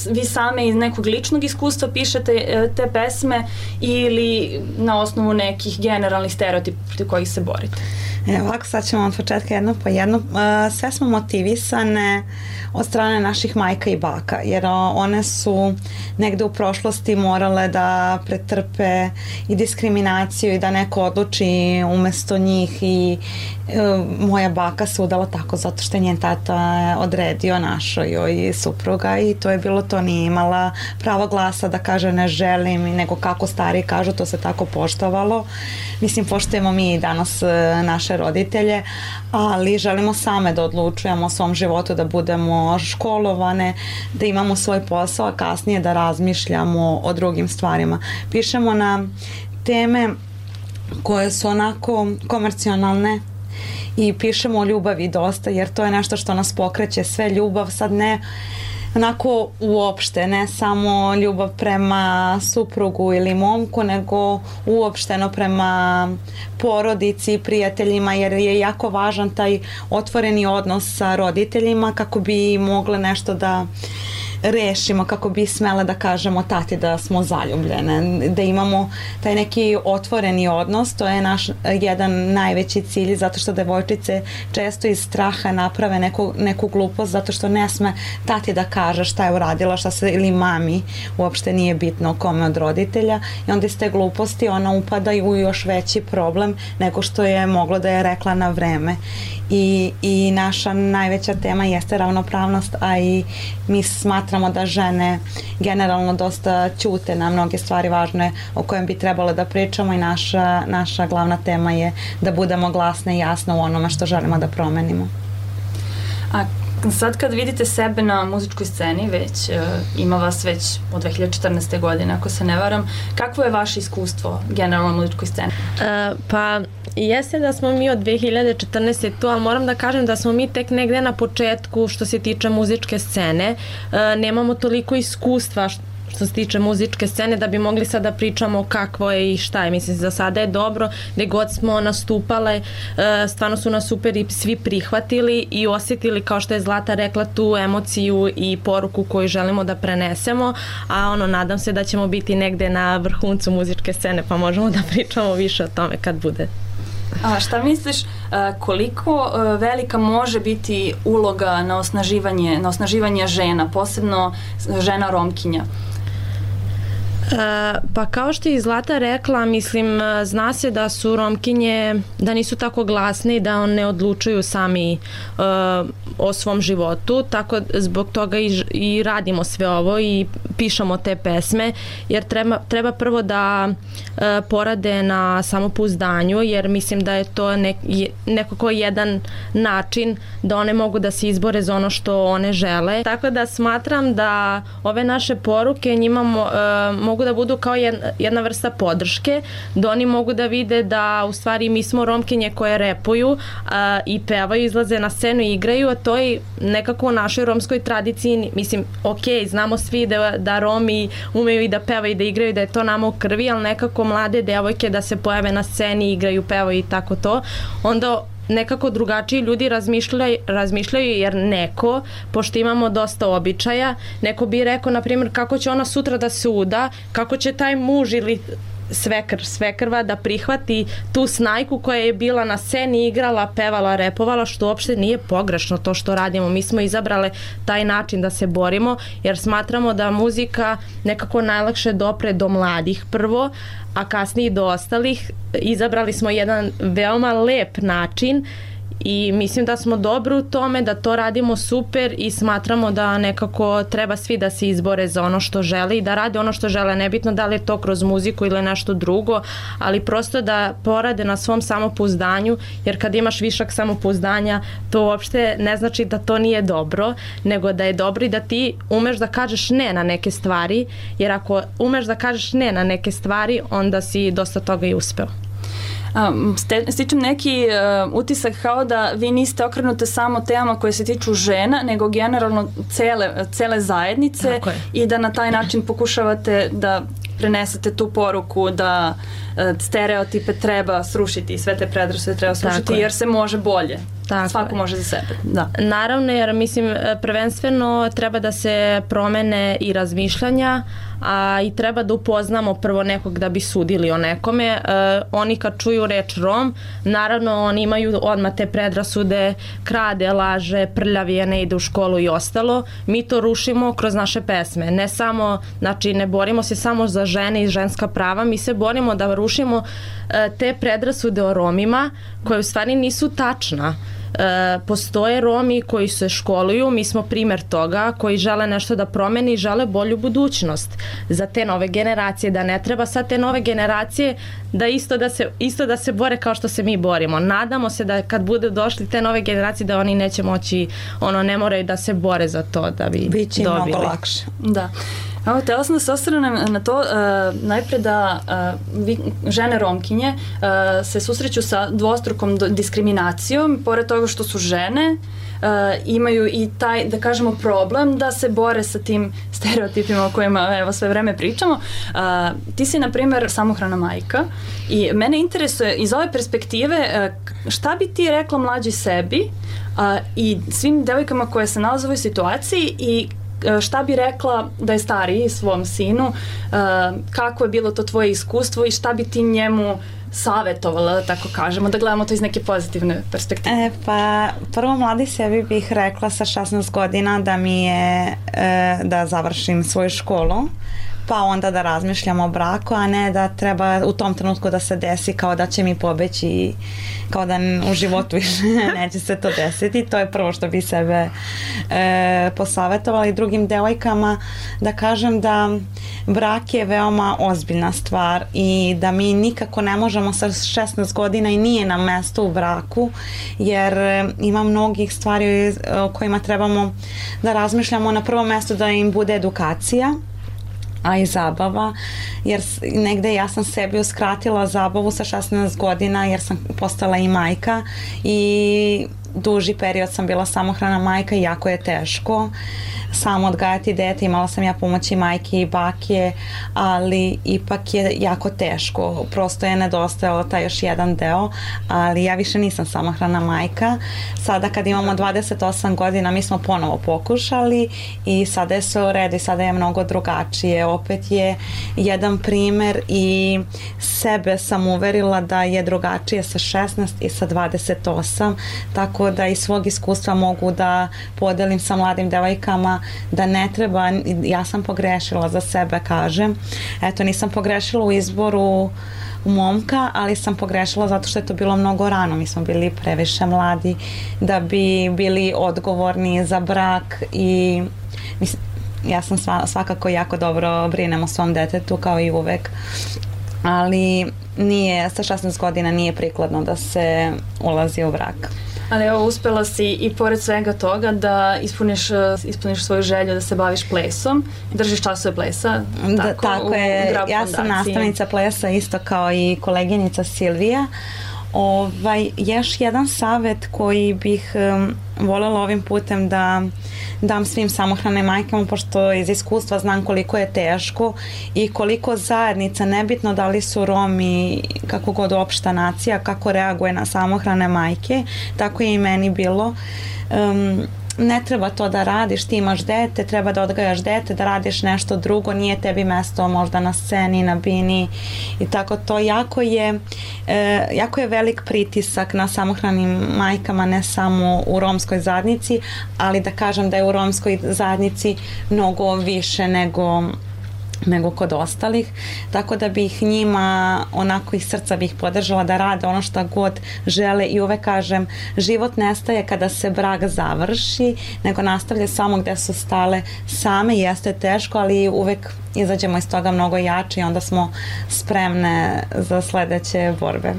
vi same iz nekog ličnog iskustva pišete te pesme ili na osnovu nekih generalnih stereotipa protiv kojih se borite?
Ovako, sad ćemo od početka jedno po jedno. Sve smo motivisane od strane naših majka i baka, jer one su negde u prošlosti morale da pretrpe i diskriminaciju i da neko odluči umesto njih i moja baka se udala tako zato što je njen tata odredio našoj joj supruga i to je bilo to, nije imala pravo glasa da kaže ne želim, nego kako stari kažu, to se tako poštovalo. Mislim, poštujemo mi i danas naše roditelje, ali želimo same da odlučujemo o svom životu, da budemo školovane, da imamo svoj posao, a kasnije da razmišljamo o drugim stvarima. Pišemo na teme koje su onako komercionalne i pišemo o ljubavi dosta, jer to je nešto što nas pokreće, sve ljubav, sad onako uopšte, ne samo ljubav prema suprugu ili momku, nego uopšteno prema porodici, prijateljima, jer je jako važan taj otvoreni odnos sa roditeljima kako bi mogle nešto da rešimo, kako bi smele da kažemo tati da smo zaljubljene, da imamo taj neki otvoreni odnos. To je naš jedan najveći cilj, zato što devojčice često iz straha naprave neku glupost, zato što ne sme tati da kaže šta je uradila, šta se, ili mami, uopšte nije bitno kome od roditelja, i onda iz te gluposti ona upada u još veći problem nego što je moglo da je rekla na vreme. I naša najveća tema jeste ravnopravnost, a i mi smatramo da žene generalno dosta ćute na mnoge stvari važne o kojem bi trebalo da pričamo, i naša glavna tema je da budemo glasne i jasne u onome što želimo da promenimo.
A sad kad vidite sebe na muzičkoj sceni, ima vas već od 2014. godine, ako se ne varam, kakvo je vaše iskustvo generalno na muzičkoj sceni?
Pa jeste da smo mi od 2014. tu, ali moram da kažem da smo mi tek negde na početku što se tiče muzičke scene. Nemamo toliko iskustva što se tiče muzičke scene da bi mogli sad da pričamo kakvo je i šta je. Mislim, za sada je dobro, gde god smo nastupale, stvarno su nas super i svi prihvatili i osjetili, kao što je Zlata rekla, tu emociju i poruku koju želimo da prenesemo, a nadam se da ćemo biti negde na vrhuncu muzičke scene, pa možemo da pričamo više o tome kad bude.
A šta misliš, koliko velika može biti uloga na osnaživanje žena, posebno žena Romkinja?
Pa kao što je Zlata rekla, mislim, zna se da su Romkinje, da nisu tako glasne i da ne odlučuju sami o svom životu, tako zbog toga i radimo sve ovo i pišemo te pesme, jer treba prvo da porade na samopouzdanju, jer mislim da je to nekako jedan način da one mogu da se izbore za ono što one žele. Tako da smatram da ove naše poruke njima mogu da budu kao jedna vrsta podrške, da oni mogu da vide da u stvari mi smo Romkinje koje repuju i pevaju, izlaze na scenu i igraju, a to je nekako u našoj romskoj tradiciji, mislim, ok, znamo svi da Romi umeju i da pevaju i da igraju, da je to nama u krvi, ali nekako mlade devojke da se pojave na sceni, igraju, pevaju i tako to, onda nekako drugačiji ljudi razmišljaju, jer neko, pošto imamo dosta običaja, neko bi rekao, na primjer, kako će ona sutra da se uda, kako će taj muž ili svekrva da prihvati tu snajku koja je bila na sceni, igrala, pevala, repovala, što uopšte nije pogrešno to što radimo. Mi smo izabrale taj način da se borimo, jer smatramo da muzika nekako najlakše dopre do mladih prvo, a kasnije do ostalih. Izabrali smo jedan veoma lep način i mislim da smo dobro u tome, da to radimo super i smatramo da nekako treba svi da se izbore za ono što žele i da rade ono što žele, nebitno da li je to kroz muziku ili nešto drugo, ali prosto da porade na svom samopouzdanju, jer kad imaš višak samopouzdanja, to uopšte ne znači da to nije dobro, nego da je dobro i da ti umeš da kažeš ne na neke stvari, jer ako umeš da kažeš ne na neke stvari, onda si dosta toga i uspeo.
Stičem neki utisak kao da vi niste okrenute samo temama koje se tiču žena, nego generalno cele zajednice i da na taj način pokušavate da prenesete tu poruku da stereotipe treba srušiti i sve te predrasude treba srušiti jer se može bolje. Svako može za sebe. Da.
Naravno, jer mislim prvenstveno treba da se promene i razmišljanja, a i treba da upoznamo prvo nekog da bi sudili o nekome. Oni kad čuju reč Rom, naravno oni imaju odmah te predrasude, krade, laže, prljavije, ne ide u školu i ostalo. Mi to rušimo kroz naše pesme. Ne samo, znači ne borimo se samo za žene i ženska prava, mi se borimo da rušimo te predrasude o Romima koje u stvari nisu tačna. Postoje Romi koji se školuju, mi smo primer toga, koji žele nešto da promeni i žele bolju budućnost za te nove generacije, da ne treba sad te nove generacije da isto da se bore kao što se mi borimo. Nadamo se da kad bude došli te nove generacije da oni neće moći, ne moraju da se bore za to da bi
biće
dobili.
Mnogo lakše.
Da. Evo, htjela sam da se osvrnem na to, najpre da žene Romkinje se susreću sa dvostrukom diskriminacijom, pored toga što su žene, imaju i taj, da kažemo, problem da se bore sa tim stereotipima o kojima evo sve vreme pričamo. Ti si, na primjer, samohrana majka i mene interesuje iz ove perspektive šta bi ti rekla mlađi sebi i svim devojkama koje se nalaze u ovoj situaciji i šta bi rekla da je stariji svom sinu, kako je bilo to tvoje iskustvo i šta bi ti njemu savjetovala, da tako kažemo, da gledamo to iz neke pozitivne perspektive?
Pa prvo mladi sebi bih rekla sa 16 godina da mi je da završim svoju školu, pa onda da razmišljam o braku, a ne da treba u tom trenutku da se desi kao da će mi pobeći, kao da u životu više neće se to desiti. To je prvo što bi sebe posavjetovala i drugim devojkama da kažem da brak je veoma ozbiljna stvar i da mi nikako ne možemo sa 16 godina i nije na mesto u braku, jer ima mnogih stvari o kojima trebamo da razmišljamo. Na prvom mjestu da im bude edukacija, a i zabava, jer negde ja sam sebi uskratila zabavu sa 16 godina jer sam postala i majka i duži period sam bila samohrana majka i jako je teško samo odgajati dete. Imala sam ja pomoći majke i bake, ali ipak je jako teško. Prosto je nedostajalo taj još jedan deo, ali ja više nisam samohrana majka. Sada kad imamo 28 godina mi smo ponovo pokušali i sada je sve u redu i sada je mnogo drugačije. Opet je jedan primer i sebe sam uverila da je drugačije sa 16 i sa 28, tako da iz svog iskustva mogu da podelim sa mladim devojkama da ne treba, ja sam pogrešila za sebe, kažem. Eto, nisam pogrešila u izboru momka, ali sam pogrešila zato što je to bilo mnogo rano. Mi smo bili previše mladi da bi bili odgovorni za brak i ja sam svakako jako dobro brinem o svom detetu kao i uvek, ali nije, sa 16 godina nije prikladno da se ulazi u brak.
Ali evo, uspela si i pored svega toga da ispuniš svoju želju da se baviš plesom, držiš časove plesa.
Tako je, ja sam nastavnica plesa isto kao i koleginica Silvija. Još jedan savjet koji bih voljela ovim putem da dam svim samohranim majkama, pošto iz iskustva znam koliko je teško i koliko zajednica, nebitno da li su Romi, kako god opšta nacija, kako reaguje na samohrane majke, tako je i meni bilo. Ne treba to da radiš, ti imaš dete, treba da odgajaš dete, da radiš nešto drugo, nije tebi mesto možda na sceni, na bini i tako to. Jako je velik pritisak na samohranim majkama, ne samo u romskoj zajednici, ali da kažem da je u romskoj zajednici mnogo više nego kod ostalih, tako da bih njima onako iz srca bih podržala da rade ono što god žele i uvek kažem, život nestaje kada se brak završi, nego nastavlja samo gde su stale same. Jeste teško, ali uvek izađemo iz toga mnogo jači i onda smo spremne za sledeće borbe.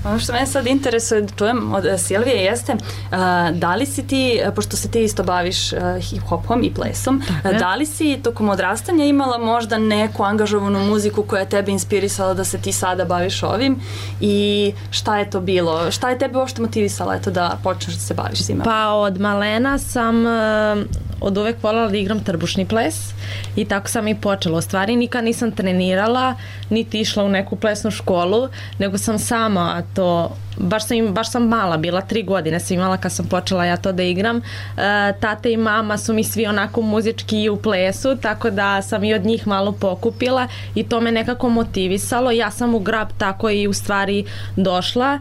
Ono što mene sad interesuje da čujem od Silvije jeste da li si ti, pošto se ti isto baviš hip-hopom i plesom, da li si tokom odrastanja imala možda neku angažovanu muziku koja je tebe inspirisala da se ti sada baviš ovim i šta je to bilo? Šta je tebe uopšte motivisala da počneš da se baviš svima?
Pa od malena sam od uvek voljela da igram trbušni ples i tako sam i počela. U stvari nikad nisam trenirala, niti išla u neku plesnu školu, nego sam sama to, baš sam mala bila, 3 godine sam imala kad sam počela ja to da igram. Tate i mama su mi svi onako muzički i u plesu, tako da sam i od njih malo pokupila i to me nekako motivisalo. Ja sam u grab tako i u stvari došla.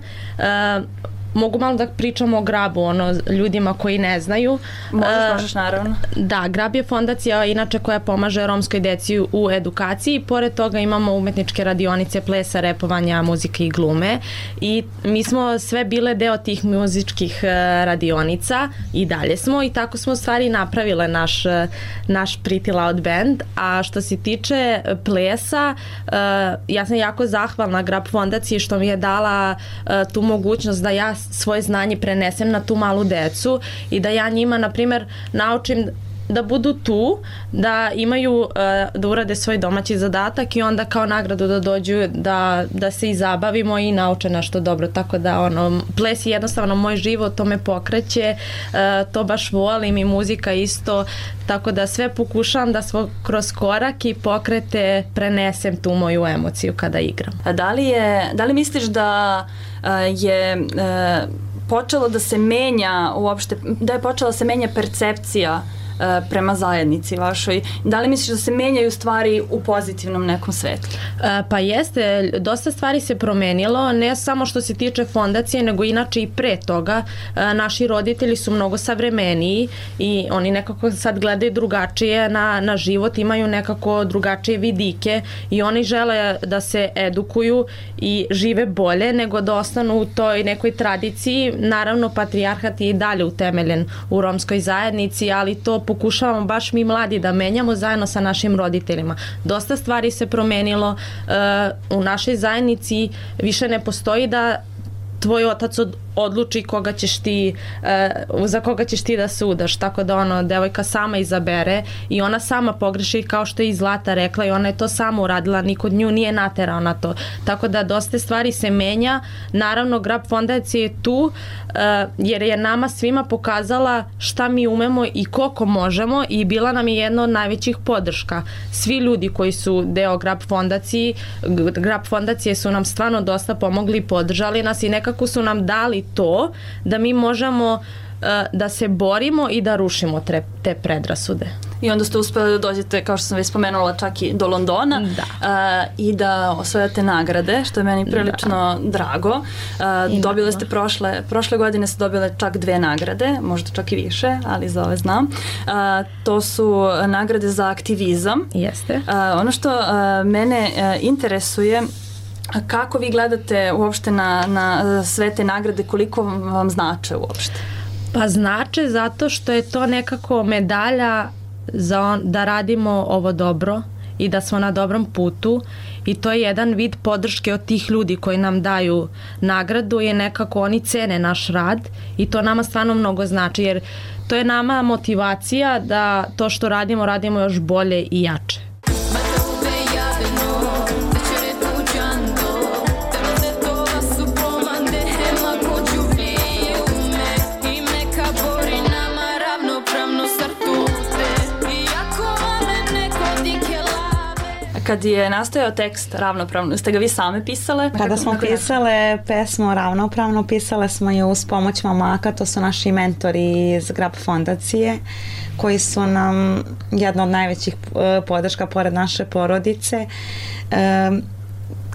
Mogu malo da pričamo o Grabu, ljudima koji ne znaju.
Možeš naravno.
Da, Grab je fondacija inače koja pomaže romskoj deci u edukaciji. Pored toga imamo umetničke radionice plesa, repovanja, muzike i glume. I mi smo sve bile deo tih muzičkih radionica i dalje smo i tako smo u stvari napravile naš Pretty Loud band. A što se tiče plesa, ja sam jako zahvalna Grab fondaciji što mi je dala tu mogućnost da ja svoje znanje prenesem na tu malu decu i da ja njima, na primjer, naučim da budu tu, da imaju, da urade svoj domaći zadatak i onda kao nagradu da dođu da se i zabavimo i nauče nešto dobro, tako da ples je jednostavno moj život, to me pokreće, to baš volim i muzika isto, tako da sve pokušavam da kroz korak i pokrete prenesem tu moju emociju kada igram.
A da li misliš da je počelo da se menja uopšte, da je počela da se menja percepcija prema zajednici vašoj? Da li misliš da se menjaju stvari u pozitivnom nekom svetlu?
Pa jeste, dosta stvari se promenilo, ne samo što se tiče fondacije, nego inače i pre toga. Naši roditelji su mnogo savremeniji i oni nekako sad gledaju drugačije na život, imaju nekako drugačije vidike i oni žele da se edukuju i žive bolje nego da ostanu u toj nekoj tradiciji. Naravno, patrijarhat je i dalje utemeljen u romskoj zajednici, ali to pokušavamo baš mi mladi da menjamo zajedno sa našim roditeljima. Dosta stvari se promenilo u našoj zajednici, više ne postoji da tvoj otac odluči koga ćeš ti, za koga ćeš ti da se udaš, tako da devojka sama izabere i ona sama pogreši, kao što je i Zlata rekla, i ona je to sama uradila, niko nju nije naterao na to, tako da dosta stvari se menja. Naravno, Grab fondacija je tu jer je nama svima pokazala šta mi umemo i koliko možemo i bila nam je jedna od najvećih podrška. Svi ljudi koji su deo Grab fondacije su nam stvarno dosta pomogli, podržali nas i nekako su nam dali to da mi možemo da se borimo i da rušimo te predrasude.
I onda ste uspeli da dođete, kao što sam već spomenula, čak i do Londona i da osvajate nagrade, što je meni prilično drago. Dobile ste prošle godine ste dobile čak 2 nagrade, možda čak i više, ali za ove znam. To su nagrade za aktivizam.
Jeste.
Ono što mene interesuje, kako vi gledate uopšte na sve te nagrade, koliko vam znače uopšte?
Pa znače zato što je to nekako medalja da radimo ovo dobro i da smo na dobrom putu i to je jedan vid podrške od tih ljudi koji nam daju nagradu, je nekako oni cene naš rad i to nama stvarno mnogo znači, jer to je nama motivacija da to što radimo još bolje i jače.
Kad je nastojao tekst Ravnopravno, ste ga vi same pisale?
Kada smo pisale pesmu Ravnopravno, pisale smo je uz pomoć momaka, to su naši mentori iz Grab fondacije, koji su nam jedna od najvećih podrška pored naše porodice.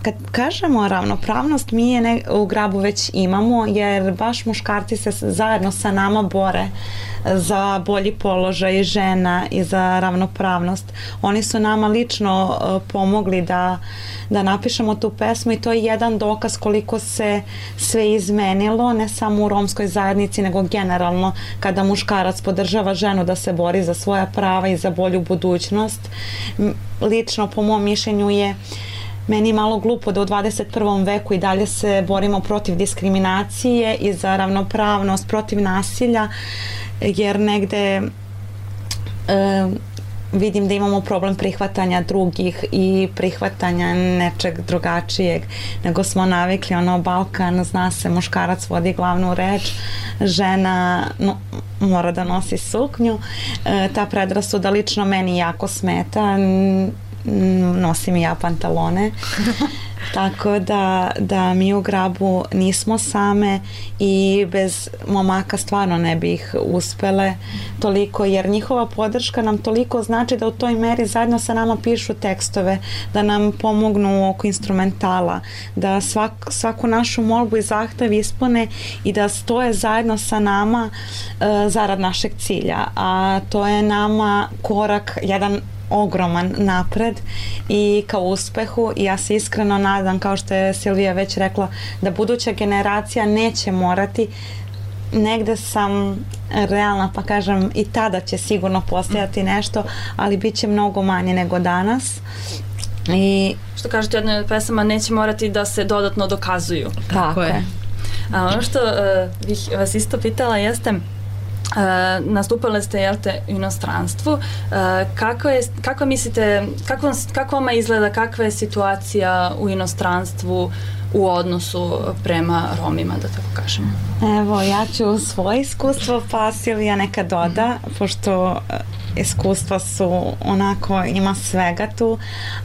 Kad kažemo ravnopravnost, mi je u Grabu već imamo, jer baš muškarci se zajedno sa nama bore za bolji položaj žena i za ravnopravnost. Oni su nama lično pomogli da napišemo tu pesmu i to je jedan dokaz koliko se sve izmenilo, ne samo u romskoj zajednici, nego generalno kada muškarac podržava ženu da se bori za svoja prava i za bolju budućnost. Lično, po mom mišljenju, je meni malo glupo da u 21. veku i dalje se borimo protiv diskriminacije i za ravnopravnost, protiv nasilja, jer negde vidim da imamo problem prihvatanja drugih i prihvatanja nečeg drugačijeg, nego smo navikli, Balkan, zna se, muškarac vodi glavnu reč, žena mora da nosi suknju. Ta predrasuda lično meni jako smeta, nosim i ja pantalone. Tako da mi u Grabu nismo same i bez momaka stvarno ne bi ih uspele toliko, jer njihova podrška nam toliko znači da u toj meri zajedno sa nama pišu tekstove, da nam pomognu oko instrumentala, da svaku našu molbu i zahtev ispune i da stoje zajedno sa nama zarad našeg cilja, a to je nama korak jedan ogroman napred i ka uspehu, i ja se iskreno nadam, kao što je Silvija već rekla, da buduća generacija neće morati, negde sam realna pa kažem i tada će sigurno postojati nešto, ali bit će mnogo manje nego danas. I
što kažete, jedna od pesama, neće morati da se dodatno dokazuju.
Tako je.
A ono što bih vas isto pitala jeste, Nastupali ste, jel te, u inostranstvu. Kako mislite, kako vama izgleda, kakva je situacija u inostranstvu u odnosu prema Romima, da tako kažem?
Evo, ja ću svoje iskustvo, pa Silvija neka doda, pošto iskustva su onako, ima svega tu,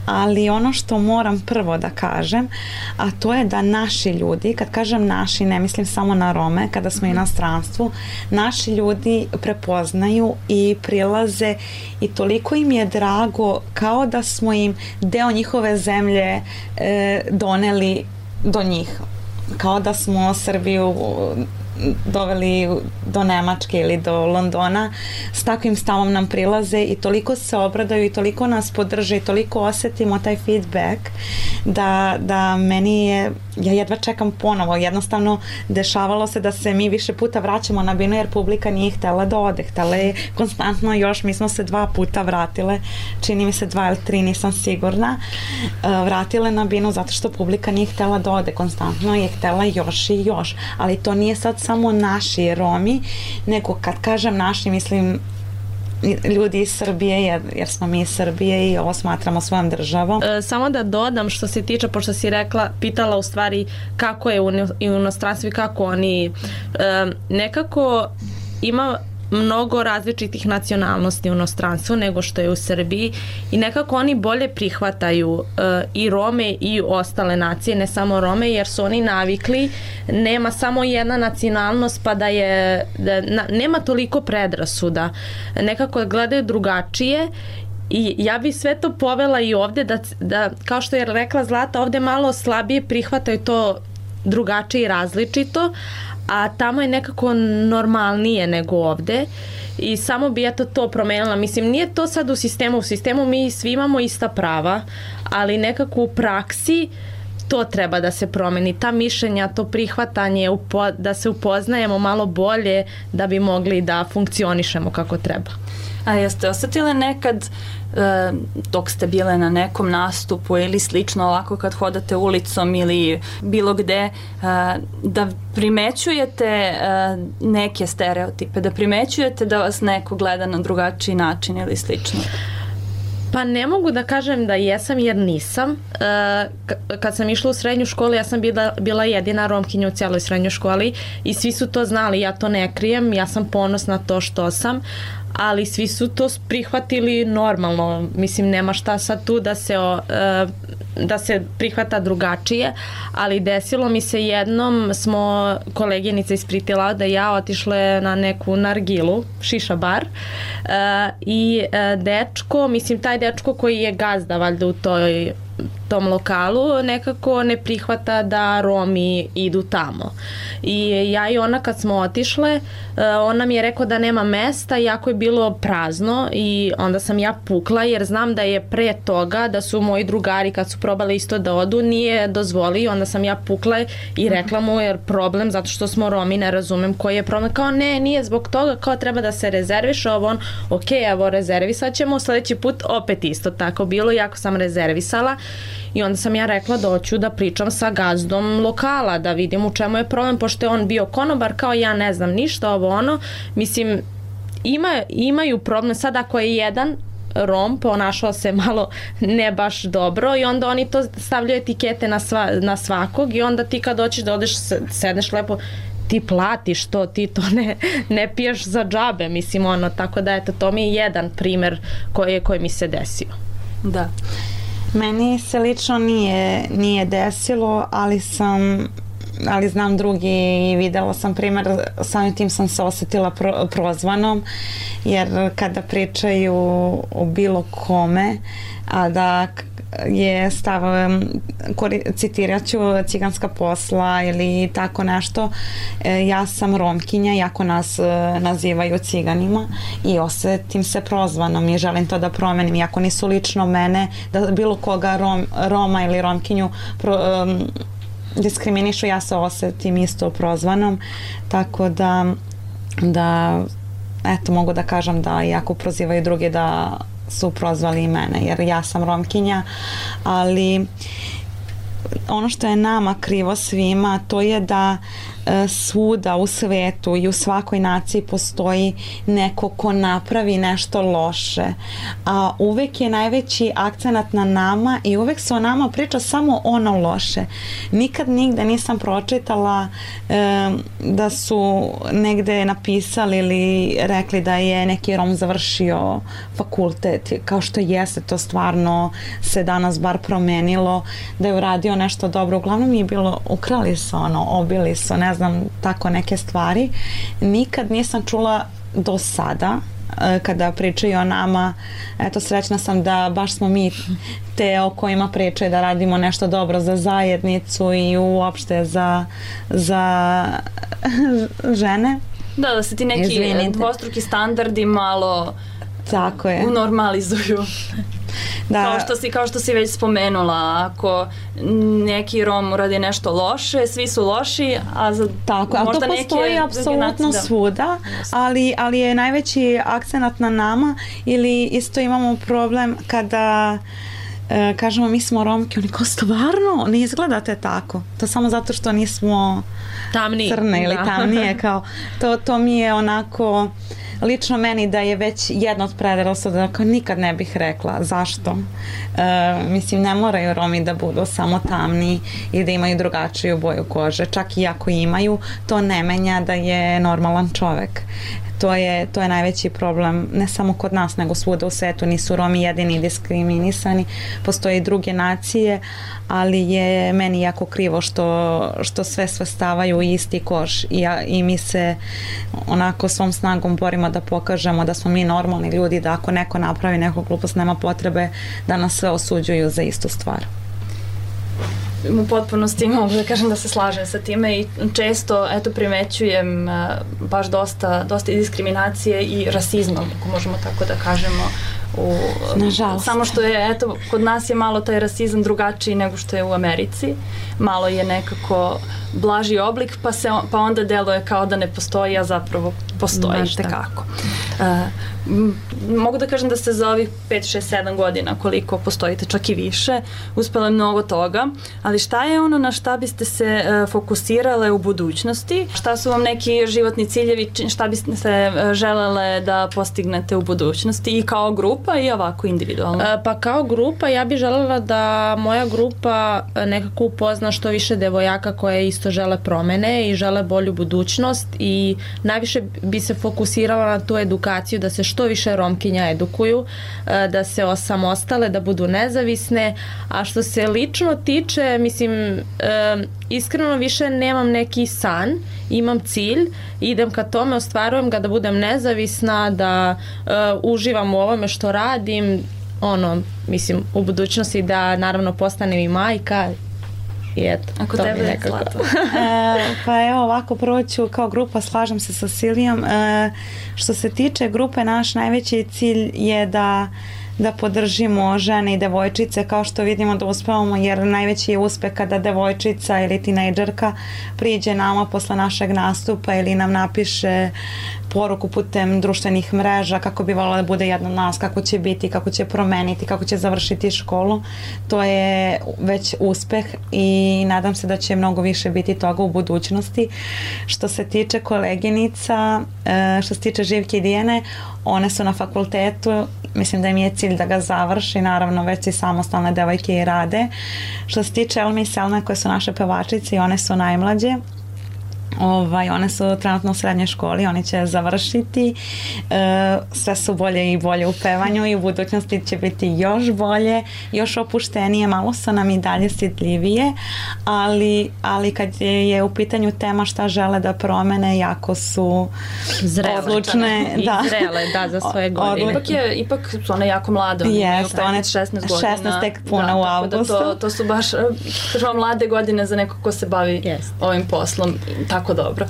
ali ono što moram prvo da kažem, a to je da naši ljudi, kad kažem naši, ne mislim samo na Rome, kada smo u inostranstvu, naši ljudi prepoznaju i prilaze i toliko im je drago kao da smo im deo njihove zemlje doneli do njih. Kao da smo Srbiju doveli do Nemačke ili do Londona, s takvim stavom nam prilaze i toliko se obradaju i toliko nas podrže i toliko osetimo taj feedback da meni je, ja jedva čekam ponovo, jednostavno dešavalo se da se mi više puta vraćamo na binu jer publika nije htela da ode, htela je konstantno još, mi smo se 2 puta vratile, čini mi se 2 ili 3, nisam sigurna, vratile na binu zato što publika nije htela da ode, konstantno je htela još i još, ali to nije sad samo naši Romi, nego kad kažem naši, mislim ljudi iz Srbije, jer smo mi iz Srbije i ovo smatramo svojom državom.
Samo da dodam što se tiče, pošto si rekla, pitala u stvari kako je u inostranstvu i kako oni nekako ima mnogo različitih nacionalnosti u inostranstvu nego što je u Srbiji i nekako oni bolje prihvataju i Rome i ostale nacije, ne samo Rome, jer su oni navikli, nema samo jedna nacionalnost pa da je, nema toliko predrasuda, nekako gledaju drugačije. I ja bi sve to povela i ovde da kao što je rekla Zlata, ovde malo slabije prihvataju to drugačije i različito, a tamo je nekako normalnije nego ovde i samo bi to promenila. Mislim, nije to sad u sistemu mi svi imamo ista prava, ali nekako u praksi to treba da se promeni, ta mišljenja, to prihvatanje, da se upoznajemo malo bolje da bi mogli da funkcionišemo kako treba.
A jeste osetile nekad dok ste bile na nekom nastupu ili slično ovako kad hodate ulicom ili bilo gde da primećujete neke stereotipe, da primećujete da vas neko gleda na drugačiji način ili slično?
Pa ne mogu da kažem da jesam jer nisam. Kad sam išla u srednju školu ja sam bila jedina Romkinja u cijeloj srednjoj školi i svi su to znali, ja to ne krijem, ja sam ponosna to što sam, ali svi su to prihvatili normalno. Mislim, nema šta sad tu da se prihvata drugačije, ali desilo mi se jednom, smo koleginica iz Pritila da ja otišle na neku nargilu, šiša bar, i dečko, mislim taj dečko koji je gazda valjda u tom lokalu nekako ne prihvata da Romi idu tamo. I ja i ona kad smo otišle, ona mi je rekao da nema mesta, jako je bilo prazno i onda sam ja pukla jer znam da je pre toga da su moji drugari kad su probali isto da odu nije dozvolio, onda sam ja pukla i rekla mu jer problem zato što smo Romi, ne razumem koji je problem, kao ne, nije zbog toga, kao treba da se rezerviš, ovo on, ok, evo rezervisat ćemo, sledeći put opet isto tako bilo, jako sam rezervisala. I onda sam ja rekla da hoću da pričam sa gazdom lokala, da vidim u čemu je problem, pošto je on bio konobar, kao ja ne znam ništa, ovo ono. Mislim, imaju problem sad ako je jedan Rom ponašao se malo ne baš dobro i onda oni to stavljaju etikete na svakog i onda ti kad hoćeš da odeš, sedneš lepo, ti platiš to, ti to ne piješ za džabe, mislim ono, tako da eto, to mi je jedan primer koji mi se desio.
Da.
Meni se lično nije desilo, ali znam drugi i videla sam primjer, samim tim sam se osetila prozvanom, jer kada pričaju o bilo kome, a da je stav, citirat ću ciganska posla ili tako nešto, ja sam Romkinja, jako nas nazivaju ciganima i osetim se prozvanom i želim to da promenim, iako nisu lično mene, da bilo koga Roma ili Romkinju diskriminišu, ja se osetim isto prozvanom, tako da eto, mogu da kažem da iako prozivaju drugi da su prozvali i mene, jer ja sam Romkinja, ali ono što je nama krivo svima, to je da svuda u svetu i u svakoj naciji postoji neko ko napravi nešto loše, a uvek je najveći akcenat na nama i uvek se o nama priča samo ono loše. Nikad nigde nisam pročitala da su negde napisali ili rekli da je neki Rom završio fakultet, kao što jeste, to stvarno se danas bar promenilo, da je uradio nešto dobro. Uglavnom je bilo, ukrali su obili su, ne znam, tako neke stvari. Nikad nisam čula do sada kada pričaju o nama, eto, srećna sam da baš smo mi te o kojima pričaju da radimo nešto dobro za zajednicu i uopšte za žene.
Da se ti neki dvostruki standardi malo
tako je
unormalizuju.
Da.
Kao što si već spomenula, ako neki Rom uradi nešto loše, svi su loši, a za
tako, ali to postoji apsolutno svuda, ali je najveći akcenat na nama, ili isto imamo problem kada kažemo mi smo Romke, oni kao stvarno ne izgledate tako, to samo zato što nismo crne ili tamnije, kao to mi je onako lično meni da je već jedna od predrasuda, da nikad ne bih rekla. Zašto? Mislim, ne moraju Romi da budu samo tamni i da imaju drugačiju boju kože. Čak i ako imaju, to ne menja da je normalan čovek. To je najveći problem, ne samo kod nas, nego svuda u svetu. Nisu Romi jedini diskriminisani, postoje i druge nacije, ali je meni jako krivo što sve stavaju u isti koš i mi se onako svom snagom borimo da pokažemo da smo mi normalni ljudi, da ako neko napravi neku glupost, nema potrebe da nas sve osuđuju za istu stvar.
U potpunosti mogu da kažem da se slažem sa time i često primećujem baš dosta diskriminacije i rasizma, ako možemo tako da kažemo.
Nažalost.
Samo što je, kod nas je malo taj rasizam drugačiji nego što je u Americi. Malo je nekako blaži oblik, pa onda deluje kao da ne postoji, a zapravo postoji tekako. Mogu da kažem da ste za ovih 5, 6, 7 godina koliko postojite, čak i više, uspjela mnogo toga, ali šta je ono na šta biste se fokusirale u budućnosti? Šta su vam neki životni ciljevi, šta biste se želele da postignete u budućnosti i kao grupa i ovako individualno?
Pa kao grupa ja bih želela da moja grupa nekako upozna što više devojaka koje isto žele promene i žele bolju budućnost i najviše bi se fokusirala na tu edukaciju, da se što više Romkinja edukuju, da se osamostale, da budu nezavisne, a što se lično tiče, mislim, iskreno više nemam neki san, imam cilj, idem ka tome, ostvarujem ga da budem nezavisna, da uživam u ovome što radim, mislim, u budućnosti da naravno postanem i majka.
Ako tebe je Zlato.
Pa evo ovako, prvo ću kao grupa, slažem se sa Silijom. Što se tiče grupe, naš najveći cilj je da podržimo žene i devojčice, kao što vidimo da uspevamo, jer najveći je uspeh kada devojčica ili tinejdžerka priđe nama posle našeg nastupa ili nam napiše poruku putem društvenih mreža kako bi voljela da bude jedna od nas, kako će biti, kako će promeniti, kako će završiti školu. To je već uspeh i nadam se da će mnogo više biti toga u budućnosti. Što se tiče koleginica, što se tiče Živke i Dijene, one su na fakultetu, mislim da im je cilj da ga završi, naravno već i samostalne devojke i rade. Što se tiče Elme i Selme, koje su naše pevačice i one su najmlađe, one su trenutno u srednjoj školi, oni će završiti, sve su bolje i bolje u pevanju i u budućnosti će biti još bolje, još opuštenije, malo su nam i dalje stidljivije, ali kad je u pitanju tema šta žele da promene, jako su odlučne
i zrele za svoje godine.
Ipak su one jako mlade, one imaju 16 godina.
16 tek puna u avgustu.
To su baš mlade godine za neko ko se bavi ovim poslom, tako dobro.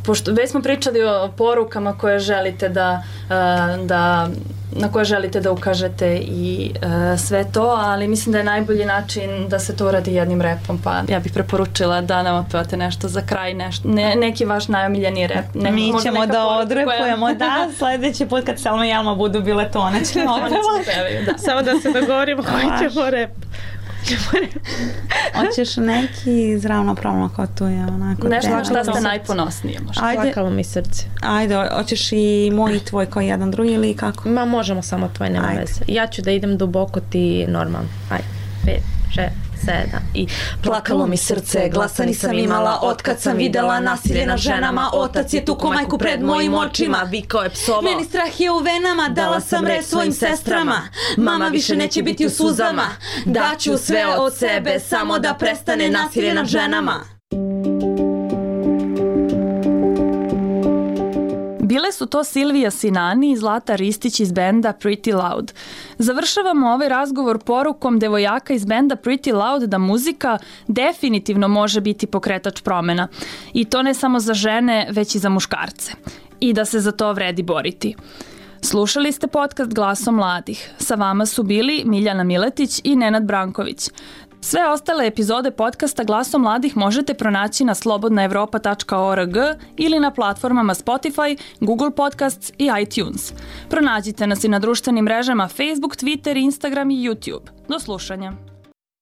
Pošto već smo pričali o porukama koje želite na koje želite da ukažete i sve to, ali mislim da je najbolji način da se to uradi jednim repom, pa ja bih preporučila da nam otpevate nešto za kraj, neki vaš najomiljeni rep.
Mi ćemo da odrepujemo, da, sledeći put kad Selma i Elma budu bile to, one ćemo otpevati.
Samo da se dogovorimo koji ćemo rep.
Hoćeš neki ravnopravno kao tu je onako.
Nešto što ste najponosnije možda.
Plakalo mi srce.
Ajde, hoćeš i moj i tvoj kao jedan drugi ili kako?
Ma možemo samo tvoj, nema veze. Ja ću da idem duboko, ti normalno. Ajde, 5, 6, 7 i...
Plakalo mi srce, glasa nisam imala otkad sam videla nasilje nad ženama. Otac je tuko majku pred mojim očima,
vikao je psovo.
Meni strah je u venama, dala sam reč svojim sestrama. Mama više neće biti u suzama, daću sve od sebe samo da prestane nasilje nad ženama.
Bile su to Silvija Sinani i Zlata Ristić iz benda Pretty Loud. Završavamo ovaj razgovor porukom devojaka iz benda Pretty Loud da muzika definitivno može biti pokretač promena. I to ne samo za žene, već i za muškarce. I da se za to vredi boriti. Slušali ste podcast Glasom mladih. Sa vama su bili Miljana Miletić i Nenad Branković. Sve ostale epizode podcasta Glasom mladih možete pronaći na slobodnaevropa.org ili na platformama Spotify, Google Podcasts i iTunes. Pronađite nas i na društvenim mrežama Facebook, Twitter, Instagram i YouTube. Do slušanja.